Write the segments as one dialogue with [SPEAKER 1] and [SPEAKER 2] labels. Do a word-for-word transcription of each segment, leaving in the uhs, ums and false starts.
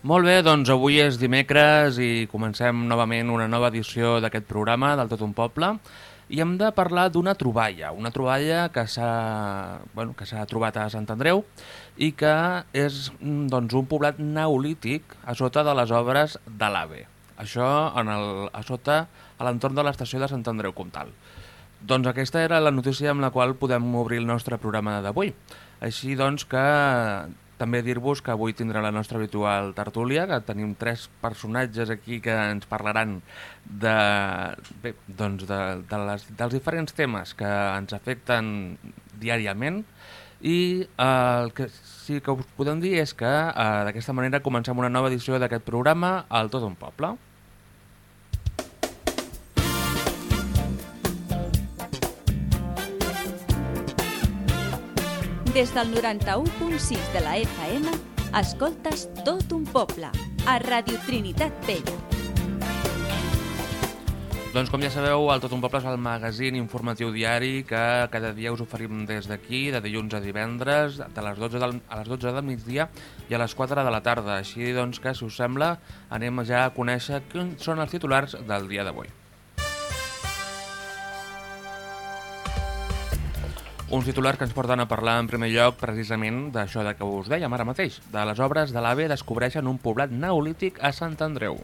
[SPEAKER 1] Molt bé, doncs avui és dimecres i comencem novament una nova edició d'aquest programa del Tot un Poble i hem de parlar d'una troballa, una troballa que s'ha bueno, que s'ha trobat a Sant Andreu i que és doncs, un poblat neolític a sota de les obres de l'AVE. Això en el, a sota, a l'entorn de l'estació de Sant Andreu Comtal. Doncs aquesta era la notícia amb la qual podem obrir el nostre programa d'avui. Així doncs que també dir-vos que avui tindrà la nostra habitual tertúlia, que tenim tres personatges aquí que ens parlaran de, bé, doncs de, de les, dels diferents temes que ens afecten diàriament i eh, el que sí que us podem dir és que eh, d'aquesta manera comencem una nova edició d'aquest programa al Tot un Poble.
[SPEAKER 2] Des del noranta-u punt sis de la F M, escoltes Tot un Poble, a Ràdio Trinitat Vella.
[SPEAKER 1] Doncs com ja sabeu, el Tot un Poble és el magazín informatiu diari que cada dia us oferim des d'aquí, de dilluns a divendres, de les dotze del, a les dotze del migdia i a les quatre de la tarda. Així doncs que, si us sembla, anem ja a conèixer quins són els titulars del dia d'avui. Uns titulars que ens porten a parlar en primer lloc precisament d'això que us dèiem ara mateix, de les obres de l'AVE descobreixen un poblat neolític a Sant Andreu.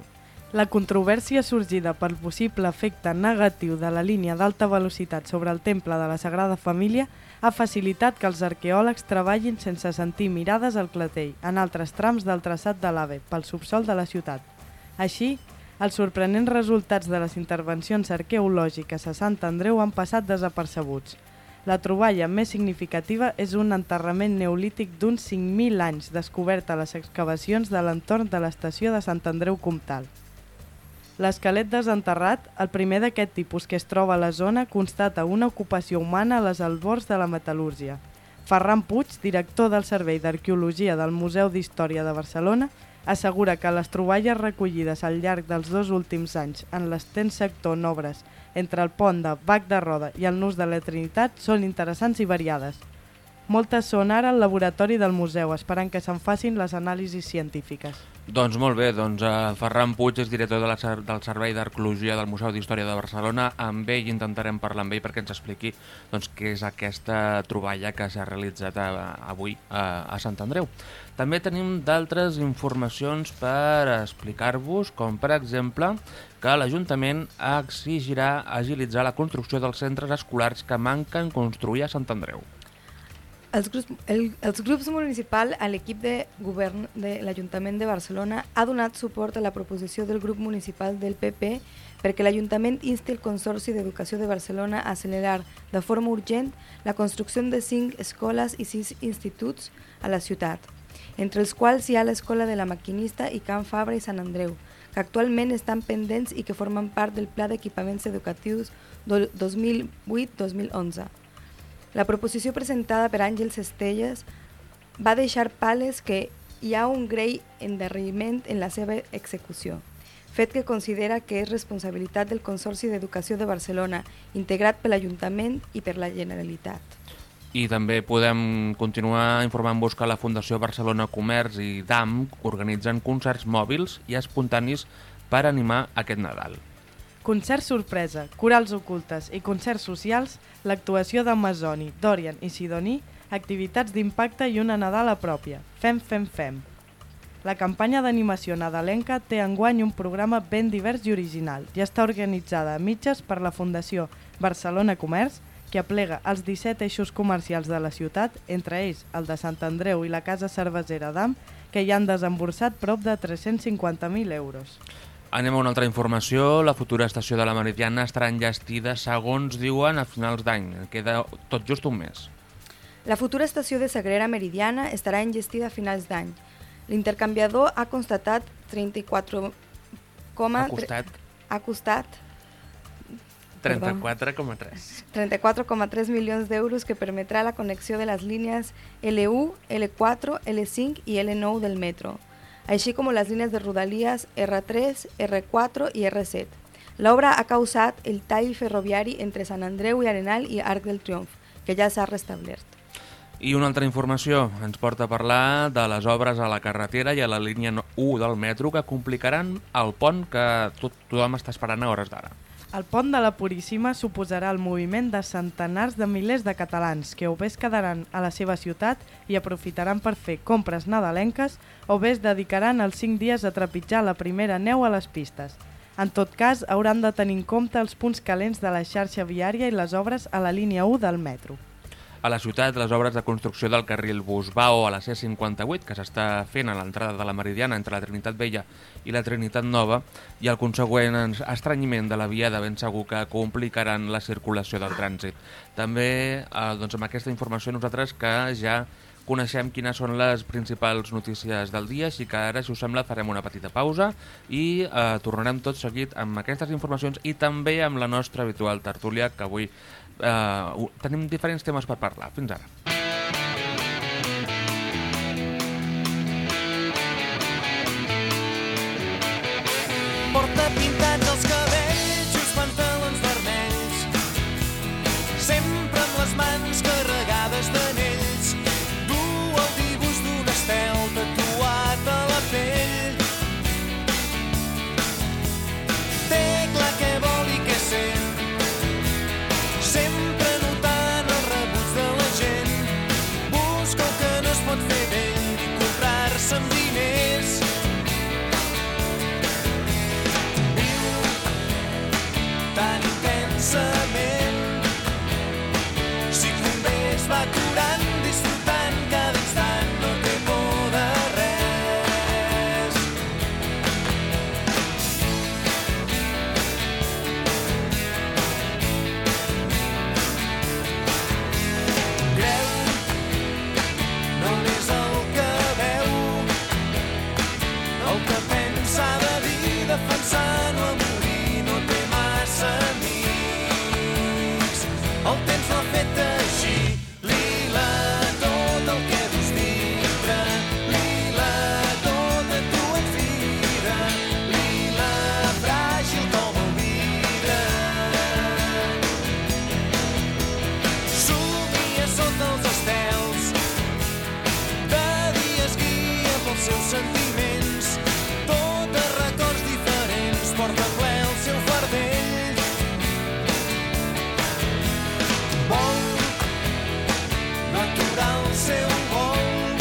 [SPEAKER 3] La controvèrsia sorgida pel possible efecte negatiu de la línia d'alta velocitat sobre el temple de la Sagrada Família ha facilitat que els arqueòlegs treballin sense sentir mirades al clatell en altres trams del traçat de l'AVE pel subsòl de la ciutat. Així, els sorprenents resultats de les intervencions arqueològiques a Sant Andreu han passat desapercebuts. La troballa més significativa és un enterrament neolític d'uns cinc mil anys descobert a les excavacions de l'entorn de l'estació de Sant Andreu Comtal. L'esquelet desenterrat, el primer d'aquest tipus que es troba a la zona, constata una ocupació humana a les albors de la metal·lúrgia. Ferran Puig, director del Servei d'Arqueologia del Museu d'Història de Barcelona, assegura que les troballes recollides al llarg dels dos últims anys en l'extens sector en obres entre el pont de Bac de Roda i el Nus de la Trinitat són interessants i variades. Moltes són ara al laboratori del museu, esperant que se'n facin les anàlisis científiques.
[SPEAKER 1] Doncs molt bé, doncs uh, Ferran Puig és director de la, del Servei d'Arqueologia del Museu d'Història de Barcelona. Amb ell intentarem parlar amb ell perquè ens expliqui doncs, què és aquesta troballa que s'ha realitzat a, avui a, a Sant Andreu. També tenim d'altres informacions per explicar-vos, com per exemple que l'Ajuntament exigirà agilitzar la construcció dels centres escolars que manquen construir a Sant Andreu.
[SPEAKER 4] Els grups, el, els grups municipals a l'equip de govern de l'Ajuntament de Barcelona ha donat suport a la proposició del grup municipal del P P perquè l'Ajuntament insti el Consorci d'Educació de Barcelona a accelerar de forma urgent la construcció de cinc escoles i sis instituts a la ciutat, entre els quals hi ha l'Escola de la Maquinista i Can Fabra i Sant Andreu, que actualment estan pendents i que formen part del Pla d'Equipaments Educatius dos mil vuit dos mil onze. La proposició presentada per Àngels Estelles va deixar pales que hi ha un greu endarreriment en la seva execució, fet que considera que és responsabilitat del Consorci d'Educació de Barcelona, integrat per l'Ajuntament i per la Generalitat.
[SPEAKER 1] I també podem continuar informant-vos que la Fundació Barcelona Comerç i D A M organitzen concerts mòbils i espontanis per animar aquest Nadal.
[SPEAKER 3] Concerts sorpresa, corals ocultes i concerts socials, l'actuació d'Amazoni, Dorian i Sidoní, activitats d'impacte i una Nadala pròpia. Fem, fem, fem. La campanya d'animació nadalenca té enguany un programa ben divers i original i està organitzada a mitges per la Fundació Barcelona Comerç, que aplega els disset eixos comercials de la ciutat, entre ells el de Sant Andreu i la Casa Cervesera d'Am, que hi han desemborsat prop de tres-cents cinquanta mil euros.
[SPEAKER 1] Anem a una altra informació. La futura estació de la Meridiana estarà enllestida, segons diuen, a finals d'any. Queda tot just un mes.
[SPEAKER 4] La futura estació de Sagrera Meridiana estarà enllestida a finals d'any. L'intercanviador ha constatat trenta-quatre coma...
[SPEAKER 1] Ha costat...
[SPEAKER 4] Ha costat...
[SPEAKER 1] trenta-quatre coma tres.
[SPEAKER 4] trenta-quatre coma tres milions d'euros que permetrà la connexió de les línies L u, L quatre, L cinc i L nou del metro, així com les línies de rodalies R tres, R quatre i R set. L'obra ha causat el tall ferroviari entre Sant Andreu i Arenal i Arc del Triomf, que ja s'ha restablert.
[SPEAKER 1] I una altra informació ens porta a parlar de les obres a la carretera i a la línia u del metro que complicaran el pont que tot, tothom està esperant a hores d'ara.
[SPEAKER 3] El pont de la Puríssima suposarà el moviment de centenars de milers de catalans que o bé es quedaran a la seva ciutat i aprofitaran per fer compres nadalenques o bé es dedicaran els cinc dies a trepitjar la primera neu a les pistes. En tot cas, hauran de tenir en compte els punts calents de la xarxa viària i les obres a la línia u del metro.
[SPEAKER 1] A la ciutat, les obres de construcció del carril Busbao a la C cinquanta-vuit, que s'està fent a l'entrada de la Meridiana entre la Trinitat Vella i la Trinitat Nova, i el consegüent estrenyiment de la via de ben segur que complicaran la circulació del trànsit. També, eh, doncs amb aquesta informació, nosaltres que ja coneixem quines són les principals notícies del dia, així que ara, si us sembla, farem una petita pausa i eh, tornarem tot seguit amb aquestes informacions i també amb la nostra habitual tertúlia, que avui Uh, tenim diferents temes per parlar. Fins ara.
[SPEAKER 5] Porta pintats els cabells i uns pantalons vermells, sempre amb les mans carregades d'anells. Du el dibuix d'un estel tatuat a la pell. Té clar què vol i què sent, sempre notant els rebuts de la gent. Busca el que no es pot fer vell i comprar-se amb diners. Viu tan intensament, si convé es va curant, disfrutant cada instant, no té por de res. Defensant o a morir, no té massa amics. El temps l'ha fet així. Lila, tot el que dus dintre. Lila, tot a tu et fira. Lila, fràgil com el vidre. Somia sota els estels, de dies guia pels seus sentiments. Tot a records diferents, porta ple el seu fardell. Vol no aturar el seu vol,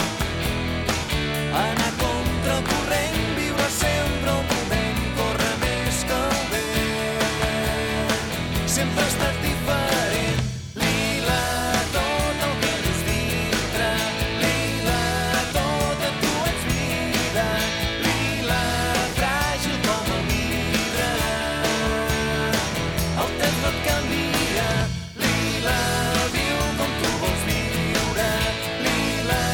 [SPEAKER 5] anar contra el corrent, viure sempre el moment, córrer més que el vent. Sempre ha estat diferent. Lila, tot el que dus dintre. Lila, tot a tu ets vida. Lila, fràgil com el vidre. El temps no et canvia. Lila, viu com tu vols viure. Lila,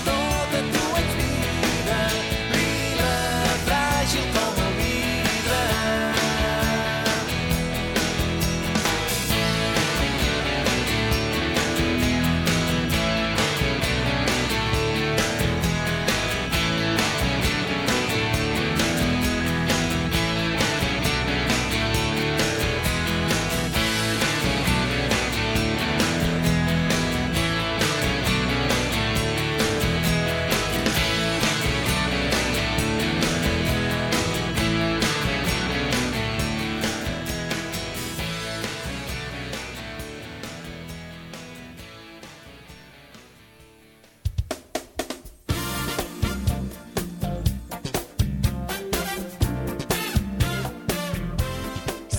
[SPEAKER 5] tot a tu ets vida. Lila, fràgil com el vidre.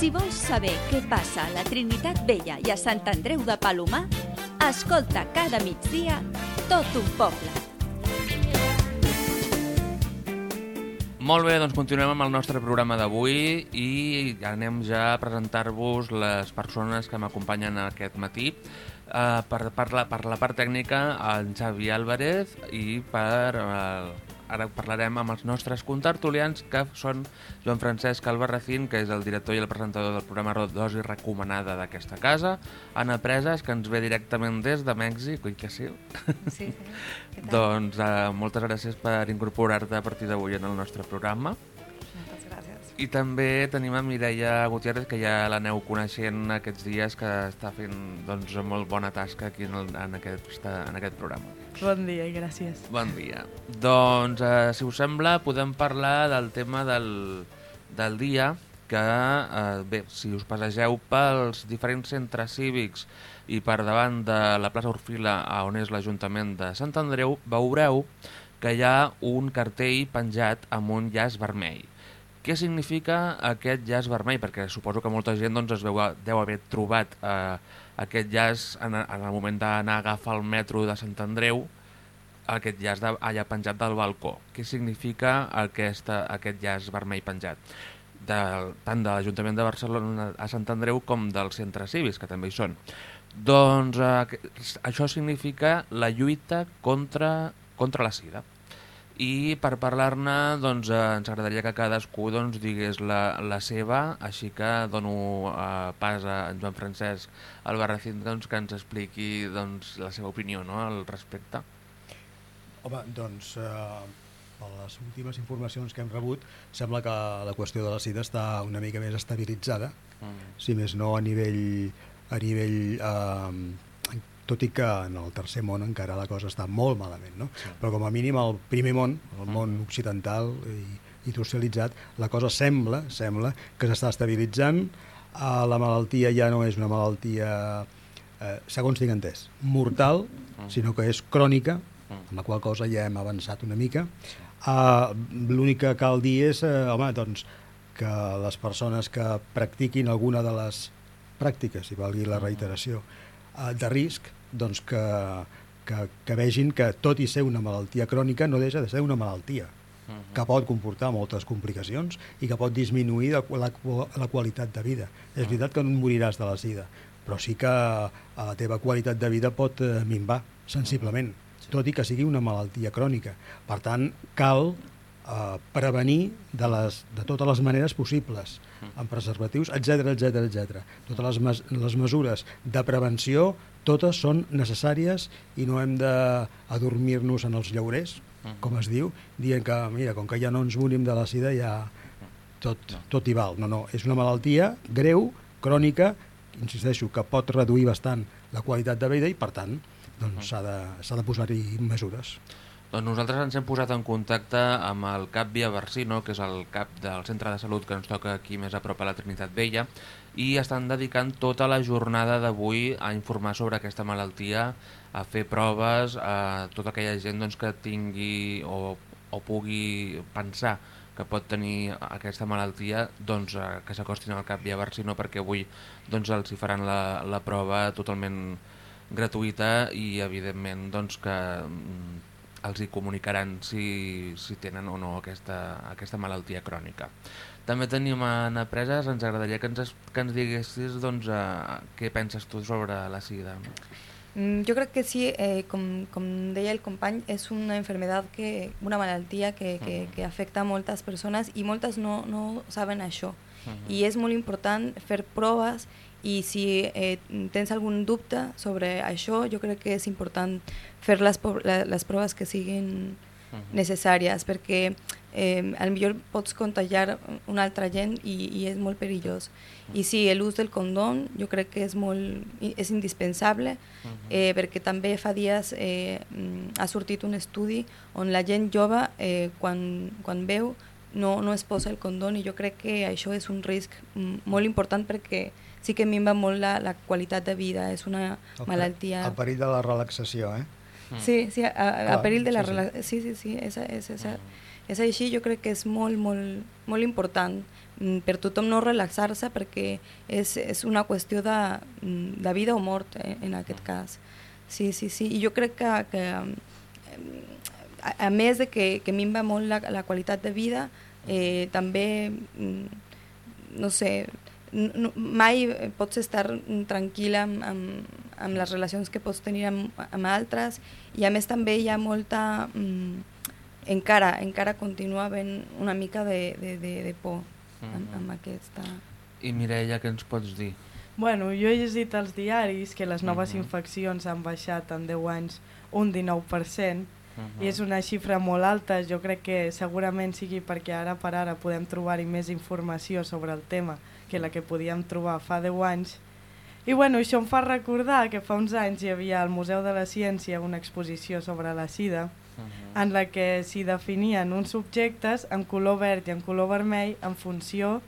[SPEAKER 2] Si vols saber què passa a la Trinitat Vella i a Sant Andreu de Palomar, escolta cada migdia Tot un poble.
[SPEAKER 1] Molt bé, doncs continuem amb el nostre programa d'avui i anem ja a presentar-vos les persones que m'acompanyen aquest matí. Uh, per, per, la, per la part tècnica, el Xavi Álvarez, i per, uh, ara parlarem amb els nostres contertulians, que són Joan Francesc Albarracín, que és el director i el presentador del programa Dosi Recomanada d'aquesta casa, Anna Presas, que ens ve directament des de Mèxic, oi que sí?
[SPEAKER 4] Sí, sí.
[SPEAKER 1] Doncs uh, moltes gràcies per incorporar-te a partir d'avui en el nostre programa.
[SPEAKER 4] Moltes gràcies.
[SPEAKER 1] I també tenim a Mireia Gutiérrez, que ja l'aneu coneixent aquests dies, que està fent doncs, molt bona tasca aquí en, el, en, aquest, en aquest programa.
[SPEAKER 3] Bon dia i gràcies.
[SPEAKER 1] Bon dia. Doncs, eh, si us sembla, podem parlar del tema del, del dia, que, eh, bé, si us passegeu pels diferents centres cívics i per davant de la plaça Orfila, on és l'Ajuntament de Sant Andreu, veureu que hi ha un cartell penjat amb un llaç vermell. Què significa aquest llaç vermell? Perquè suposo que molta gent doncs, es veu, deu haver trobat eh, aquest llaç en, en el moment d'anar a agafar el metro de Sant Andreu, aquest llaç de, allà penjat del balcó. Què significa aquesta, aquest llaç vermell penjat? De, tant de l'Ajuntament de Barcelona a Sant Andreu com dels centres cívics, que també hi són. Doncs eh, això significa la lluita contra, contra la sida. I per parlar-ne doncs, eh, ens agradaria que cadascú doncs, digués la, la seva, així que dono eh, pas a en Joan Francesc Albarracín doncs, que ens expliqui doncs, la seva opinió, no?, al respecte.
[SPEAKER 6] Home, doncs, eh, per les últimes informacions que hem rebut, sembla que la qüestió de la sida està una mica més estabilitzada, mm. si més no a nivell, a nivell eh, tot i que en el tercer món encara la cosa està molt malament, no? Sí. Però com a mínim al primer món, el món occidental i, i industrialitzat, la cosa sembla, sembla que s'està estabilitzant, eh, la malaltia ja no és una malaltia, eh, segons tinc entès, mortal, sinó que és crònica, amb la qual cosa ja hem avançat una mica. Eh, l'únic que cal dir és, eh, home, doncs, que les persones que practiquin alguna de les pràctiques, si valgui la reiteració, eh, de risc, doncs que, que, que vegin que tot i ser una malaltia crònica no deixa de ser una malaltia uh -huh. que pot comportar moltes complicacions i que pot disminuir la, la, la qualitat de vida. És veritat que no et moriràs de la sida, però sí que la teva qualitat de vida pot eh, minvar sensiblement, tot i que sigui una malaltia crònica. Per tant, cal eh, prevenir de, les, de totes les maneres possibles, amb preservatius, etcètera, etcètera, etcètera. Totes les, mes les mesures de prevenció, totes són necessàries i no hem d'adormir-nos en els llaurers, com es diu, dient que, mira, com que ja no ens morim de la sida, ja tot, tot hi val. No, no, és una malaltia greu, crònica, insisteixo, que pot reduir bastant la qualitat de vida i, per tant, doncs s'ha de, s'ha de posar-hi mesures.
[SPEAKER 1] Doncs nosaltres ens hem posat en contacte amb el cap Via Barsino, que és el cap del centre de salut que ens toca aquí més a prop a la Trinitat Vella, i estan dedicant tota la jornada d'avui a informar sobre aquesta malaltia, a fer proves a tota aquella gent doncs, que tingui o, o pugui pensar que pot tenir aquesta malaltia, doncs, que s'acostin al cap Via Barsino, perquè avui doncs, els hi faran la, la prova totalment gratuïta i evidentment doncs, que els hi comunicaran si, si tenen o no aquesta, aquesta malaltia crònica. També tenim en Apreses, ens agradaria que ens, que ens diguessis doncs, uh, què penses tu sobre la sida.
[SPEAKER 4] Mm, jo crec que sí, eh, com, com deia el company, és una enfermedad, que, una malaltia que, que, que afecta a moltes persones i moltes no, no saben això. Uh-huh. I és molt important fer proves i si eh, tens algun dubte sobre això, jo crec que és important fer les, les proves que siguin uh-huh. necessàries, perquè eh, al millor pots contagiar una altra gent i, i és molt perillós. Uh-huh. I sí, l'ús del condom jo crec que és, molt, és indispensable, uh-huh. eh, perquè també fa dies eh, ha sortit un estudi on la gent jove, eh, quan, quan veu, no, no es posa el condom, i jo crec que això és un risc molt important perquè sí que minva molt la, la qualitat de vida, és una el malaltia...
[SPEAKER 6] El perill de la relaxació, eh?
[SPEAKER 4] Sí, sí, a, a, a perill de la relaxació, sí, sí, sí, és, és, és, és així, jo crec que és molt, molt, molt important per tothom no relaxar-se, perquè és, és una qüestió de, de vida o mort, eh, en aquest cas. Sí, sí, sí, i jo crec que, que a, a més de que, que minva molt la, la qualitat de vida, eh, també, no sé, no, mai pots estar tranquil·la amb, amb, amb les relacions que pots tenir amb, amb altres, i a més també hi ha molta, mm, encara, encara continua havent una mica de, de, de, de por amb, amb aquesta...
[SPEAKER 1] I Mireia, què ens pots dir?
[SPEAKER 3] Bueno, jo he llegit als diaris que les noves
[SPEAKER 1] uh-huh.
[SPEAKER 3] infeccions han baixat en deu anys un dinou per cent, i és una xifra molt alta. Jo crec que segurament sigui perquè ara per ara podem trobar-hi més informació sobre el tema que la que podíem trobar fa deu anys. I bueno, això em fa recordar que fa uns anys hi havia al Museu de la Ciència una exposició sobre la sida, uh-huh. en la que s'hi definien uns subjectes en color verd i en color vermell en funció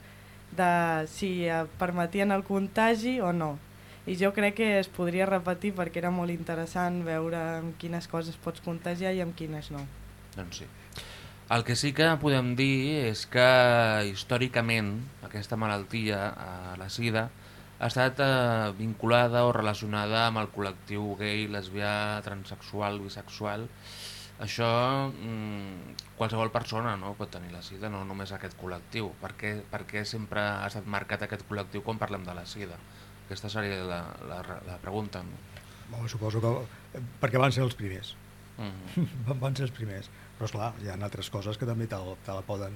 [SPEAKER 3] de si permetien el contagi o no. I jo crec que es podria repetir perquè era molt interessant veure amb quines coses pots contagiar i amb quines no.
[SPEAKER 1] Doncs sí. El que sí que podem dir és que històricament aquesta malaltia, eh, la sida, ha estat eh, vinculada o relacionada amb el col·lectiu gay, lesbià, transsexual, bisexual. Això, mmm, qualsevol persona no, pot tenir la sida, no només aquest col·lectiu. Per què, per què sempre ha estat marcat aquest col·lectiu quan parlem de la sida? Aquesta seria la, la, la pregunta. No?
[SPEAKER 6] Bueno, suposo que perquè van ser els primers.
[SPEAKER 1] Mm-hmm.
[SPEAKER 6] Van ser els primers. Però esclar, hi ha altres coses que també te la, te la, poden,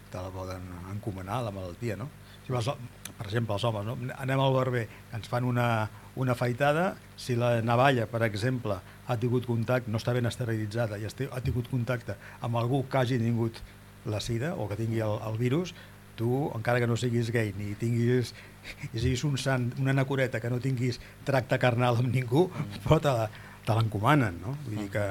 [SPEAKER 6] te la poden encomanar, la malaltia, no? Si vas, per exemple, els homes, no? Anem al barber, ens fan una, una afaitada, si la navalla, per exemple, ha tingut contacte, no està ben esterilitzada i ha tingut contacte amb algú que hagi tingut la sida o que tingui el, el virus, tu, encara que no siguis gay ni tinguis, i siguis un sant, una nacoreta que no tinguis tracte carnal amb ningú, mm. però te, te l'encomanen, no? Vull mm. dir que,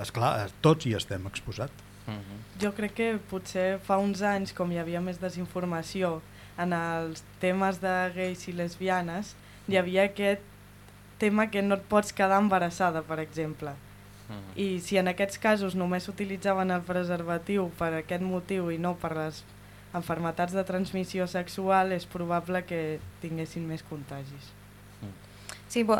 [SPEAKER 6] esclar, tots hi estem exposats.
[SPEAKER 3] Mm-hmm. Jo crec que potser fa uns anys, com hi havia més desinformació en els temes de gais i lesbianes, hi havia aquest tema que no et pots quedar embarassada, per exemple. Mm. I si en aquests casos només utilitzaven el preservatiu per aquest motiu i no per les enfermetats de transmissió sexual, és probable que tinguessin més contagis.
[SPEAKER 4] Sí, bo,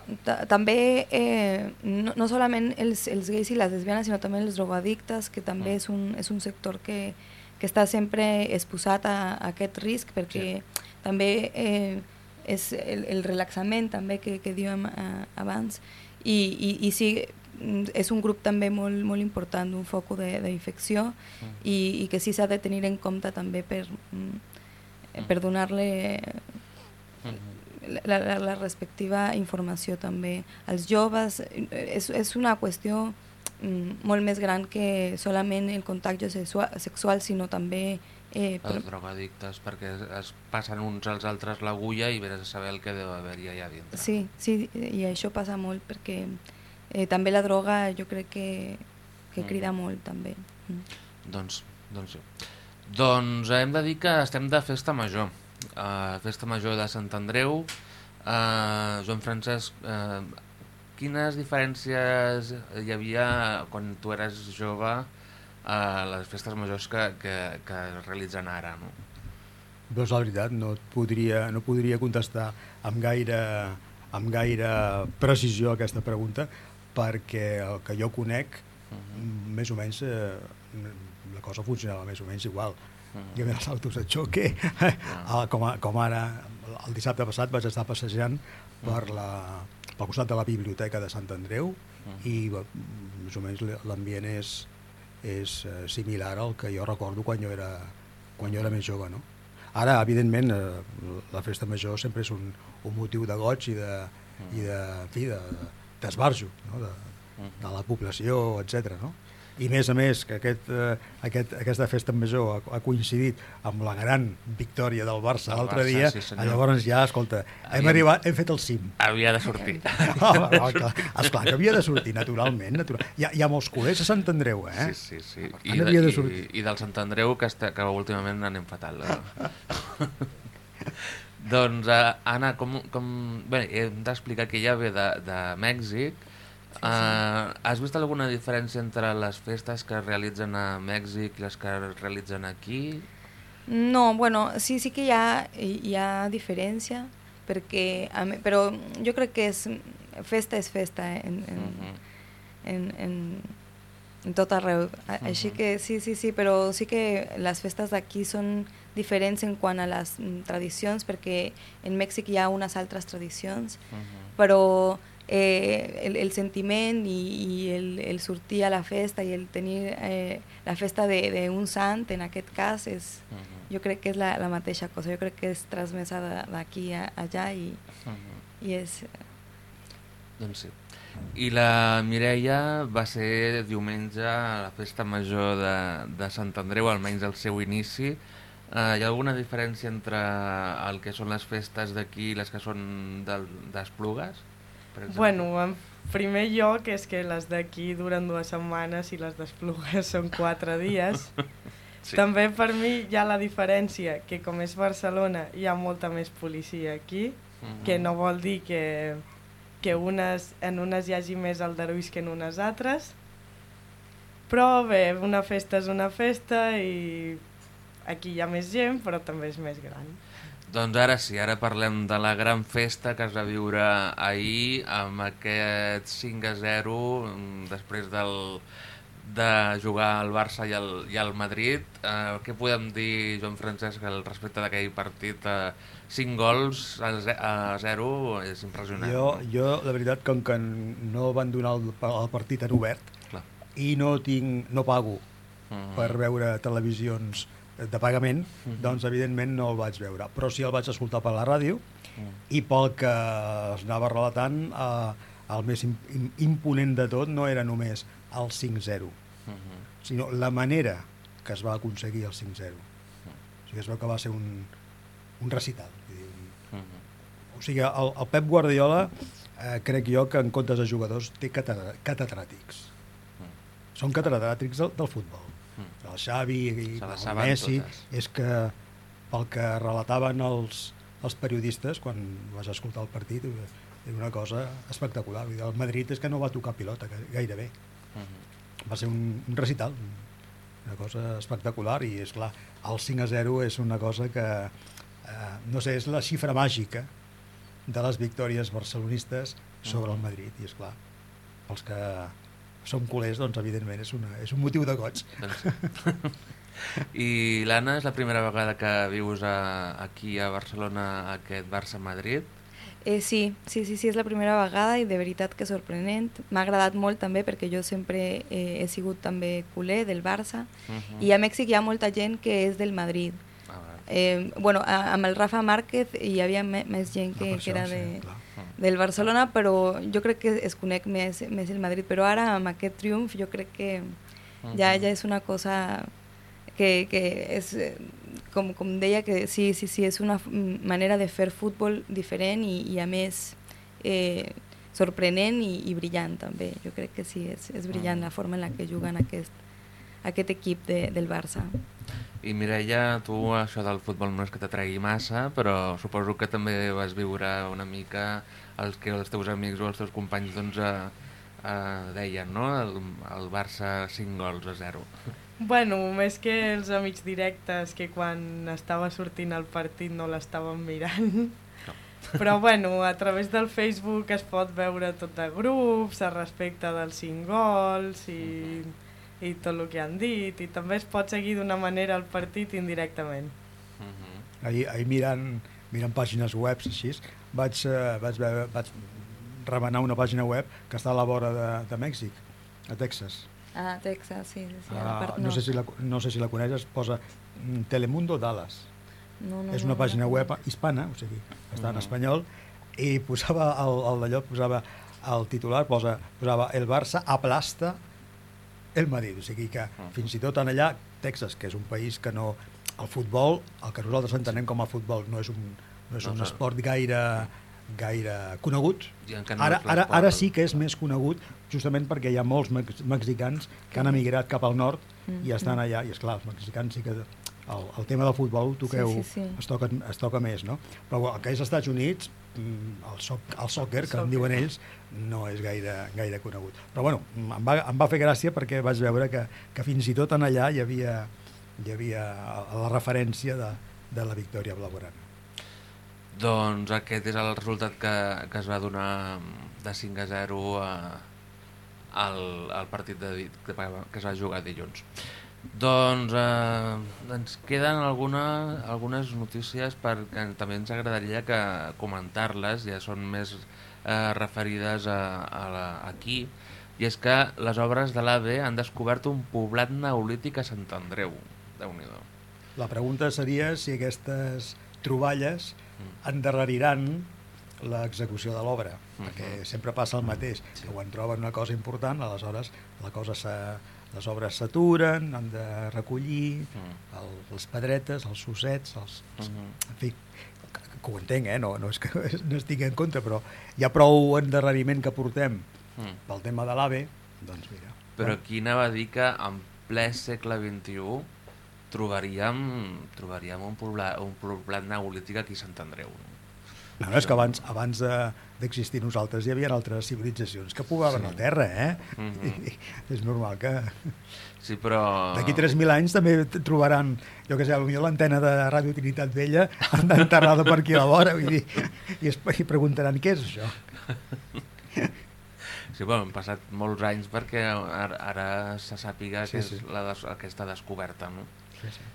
[SPEAKER 4] també eh, no, no solament els, els gais i les lesbianes, sinó també els drogoaddictes, que també és un, és un sector que, que està sempre exposat a, a aquest risc, perquè sí. també eh, és el, el relaxament també que, que dèiem eh, abans, i, i, i sí, és un grup també molt, molt important, un foc d'infecció, mm. i, i que sí s'ha de tenir en compte també per, mm. per donar-li mm. la, la, la respectiva informació també als joves. És, és una qüestió mm, molt més gran que solament el contacte sexual, sexual sinó també
[SPEAKER 1] Eh, per... Els drogadictes, perquè es, es passen uns als altres l'agulla i vés a saber el que deu haver-hi allà dintre.
[SPEAKER 4] Sí, sí, i això passa molt perquè eh, també la droga jo crec que, que crida mm. molt també. Mm.
[SPEAKER 1] Doncs, doncs, doncs hem de dir que estem de festa major, uh, festa major de Sant Andreu. Uh, Joan Francesc, uh, quines diferències hi havia quan tu eres jove a les festes majors que, que, que es realitzen ara, no?
[SPEAKER 6] Doncs la veritat, no et podria, no podria contestar amb gaire, amb gaire precisió a aquesta pregunta, perquè el que jo conec, uh-huh. més o menys, eh, la cosa funcionava més o menys igual. Uh-huh. Hi havia els autos de xoque, uh-huh. com, a, com ara, el dissabte passat vaig estar passejant per la, pel costat de la biblioteca de Sant Andreu, uh-huh. i més o menys l'ambient és és eh, similar al que jo recordo quan jo era, quan jo era més jove, no? Ara, evidentment, eh, la festa major sempre és un, un motiu de goig i de, mm. i de, en fi, d'esbarjo, no? de, de la població, etcètera, no? I més a més que aquest, eh, aquest, aquesta festa major ha, ha coincidit amb la gran victòria del Barça l'altre dia, sí, llavors ja, escolta, hem, Havia... arribat, hem fet el cim.
[SPEAKER 1] Havia de sortir.
[SPEAKER 6] No, no, clar, esclar que havia de sortir, naturalment. Natural. Hi, ha, hi ha molts culers a Sant Andreu, eh?
[SPEAKER 1] Sí, sí, sí. I, de, de i, I del Sant Andreu, que, està, que últimament anem fatal. Eh? Doncs, uh, Anna, com, com... Bé, hem d'explicar que ja ve de, de Mèxic. Sí, sí. Uh, has vist alguna diferència entre les festes que es realitzen a Mèxic i les que es realitzen aquí?
[SPEAKER 4] No, bueno, sí, sí que hi ha, hi ha diferència, perquè, però jo crec que és, festa és festa en, en, uh-huh. en, en, en tot arreu. Uh-huh. Així que sí, sí, sí, però sí que les festes d'aquí són diferents en quant a les tradicions, perquè en Mèxic hi ha unes altres tradicions, uh-huh. però Eh, el, el sentiment i, i el, el sortir a la festa i el tenir eh, la festa d'un sant, en aquest cas, és, uh-huh. jo crec que és la, la mateixa cosa. Jo crec que és transmesa d'aquí a allà i, uh-huh. i és...
[SPEAKER 1] Doncs sí. I la Mireia va ser diumenge a la festa major de, de Sant Andreu, almenys al seu inici. Uh, hi ha alguna diferència entre el que són les festes d'aquí i les que són del, d'Esplugues?
[SPEAKER 3] Bueno, en primer lloc és que les d'aquí duren dues setmanes i les d'Esplugues són quatre dies. Sí. També per mi hi ha la diferència que com és Barcelona hi ha molta més policia aquí, uh-huh. que no vol dir que, que unes, en unes hi hagi més aldarulls que en unes altres. Però bé, una festa és una festa i aquí hi ha més gent, però també és més gran.
[SPEAKER 1] Doncs ara sí, ara parlem de la gran festa que es va viure ahir amb aquest cinc a zero després del, de jugar al Barça i al, i al Madrid. Eh, què podem dir, Joan Francesc, al respecte d'aquell partit? Eh, cinc gols a zero és impressionant.
[SPEAKER 6] Jo, jo la veritat, com que no van donar el, el partit en obert, clar, i no, tinc, no pago uh-huh. per veure televisions de pagament, uh-huh. doncs evidentment no el vaig veure, però sí el vaig escoltar per la ràdio uh-huh. i pel que es anava relatant eh, el més imponent de tot no era només el cinc zero, uh-huh. sinó la manera que es va aconseguir el cinc zero. Uh-huh. O sigui, es veu que va ser un, un recital. Uh-huh. O sigui, el, el Pep Guardiola eh, crec jo que en comptes de jugadors té catedràtics. Uh-huh. Són catedràtics del, del futbol. El Xavi i el Messi, totes. És que pel que relataven els, els periodistes quan vas escoltar el partit era una cosa espectacular. El Madrid és que no va tocar pilota gairebé. Uh-huh. Va ser un, un recital, una cosa espectacular i és clar, el cinc a zero és una cosa que eh, no sé, és la xifra màgica de les victòries barcelonistes sobre uh-huh. el Madrid i és clar, pels que som culers, doncs evidentment és, una, és un motiu de goig.
[SPEAKER 1] Doncs... I l'Anna, és la primera vegada que vius a, aquí a Barcelona aquest Barça-Madrid?
[SPEAKER 4] Eh, sí, sí, sí, sí, és la primera vegada i de veritat que sorprenent. M'ha agradat molt també perquè jo sempre eh, he sigut també culer del Barça uh-huh. i a Mèxic hi ha molta gent que és del Madrid. Ah, eh, bueno, a, amb el Rafa Márquez hi havia me, més gent que, que era de... Sí, del Barcelona, però jo crec que es conec més, més el Madrid, però ara amb aquest triomf jo crec que ja, ja és una cosa que, que és, com, com deia, que sí, sí, sí, és una manera de fer futbol diferent i, i a més eh, sorprenent i, i brillant també. Jo crec que sí, és, és brillant la forma en la que juguen aquest, aquest equip de, del Barça.
[SPEAKER 1] I Mireia, tu això del futbol no és que t'atragui massa, però suposo que també vas viure una mica els que els teus amics o els teus companys doncs, eh, eh, deien, no? El, el Barça cinc gols a zero.
[SPEAKER 3] Bueno, més que els amics directes, que quan estava sortint el partit no l'estàvem mirant. No. Però bueno, a través del Facebook es pot veure tot de grups, a respecte dels cinc gols i... Uh-huh. i tot el que han dit, i també es pot seguir d'una manera el partit indirectament.
[SPEAKER 6] Uh-huh. Ahir, ahir mirant, mirant pàgines web així, vaig, uh, vaig, veure, vaig remenar una pàgina web que està a la vora de, de Mèxic, a Texas.
[SPEAKER 4] Ah, Texas, sí. sí
[SPEAKER 6] ah, part, no. No, sé si la, no sé si la coneixes, posa Telemundo Dallas. No, no, és una no, pàgina no, web hispana, o sigui, està uh-huh. en espanyol, i posava el, el d'allò, posava el titular, posa, posava el Barça aplasta el Madrid, o sigui que uh-huh. fins i tot en allà, Texas, que és un país que no... El futbol, el que nosaltres entenem com a futbol, no és un, no és no, un esport gaire, gaire conegut. No ara, ara, ara sí que és més conegut, justament perquè hi ha molts mex mexicans que han emigrat cap al nord uh-huh. i estan allà, i esclar, els mexicans sí que... El, el tema del futbol, toqueu, sí, sí, sí. Es, toca, es toca més, no? Però el que és als Estats Units, el, so, el soccer, que en diuen ells, no és gaire, gaire conegut. Però bueno, em va, em va fer gràcia perquè vaig veure que, que fins i tot en allà hi havia, hi havia la referència de, de la victòria blaugrana.
[SPEAKER 1] Doncs aquest és el resultat que, que es va donar de cinc a zero a, al, al partit de, que, que es va jugar dilluns. Doncs eh, ens queden alguna, algunes notícies perquè també ens agradaria que comentar-les, ja són més eh, referides a, a la, aquí, i és que les obres de l'A V E han descobert un poblat neolític a Sant Andreu. Déu-n'hi-do.
[SPEAKER 6] La pregunta seria si aquestes troballes endarreriran l'execució de l'obra,
[SPEAKER 1] Uh-huh.
[SPEAKER 6] perquè sempre passa el mateix,
[SPEAKER 1] Sí.
[SPEAKER 6] que quan troben una cosa important, aleshores la cosa s'ha- les obres s'aturen, han de recollir
[SPEAKER 1] Mm.
[SPEAKER 6] el, les pedretes, els sossets, els,
[SPEAKER 1] Mhm.
[SPEAKER 6] en fi, que, que ho entenc, eh? no, no és que no estigui en contra, però hi ha prou endarreriment que portem
[SPEAKER 1] Mm.
[SPEAKER 6] pel tema de l'AVE, doncs mira.
[SPEAKER 1] Però qui anava a dir que en ple segle vint-i-u trobaríem, trobaríem un, poblat, un poblat neolític aquí a Sant Andreu. No?
[SPEAKER 6] No, no, és que abans, abans de- d'existir nosaltres hi havia altres civilitzacions que poblaven
[SPEAKER 1] Sí.
[SPEAKER 6] la Terra, eh?
[SPEAKER 1] Mhm.
[SPEAKER 6] I, és normal que
[SPEAKER 1] Sí, però...
[SPEAKER 6] d'aquí tres mil anys també t- trobaran, jo què sé, potser l'antena de Ràdio Trinitat Vella enterrada per aquí a la vora, vull dir, i, es, i preguntaran què és això.
[SPEAKER 1] Sí, bueno, han passat molts anys perquè ara, ara se sàpiga
[SPEAKER 6] Sí,
[SPEAKER 1] que és
[SPEAKER 6] sí.
[SPEAKER 1] la des, aquesta descoberta, no?
[SPEAKER 6] Sí, sí.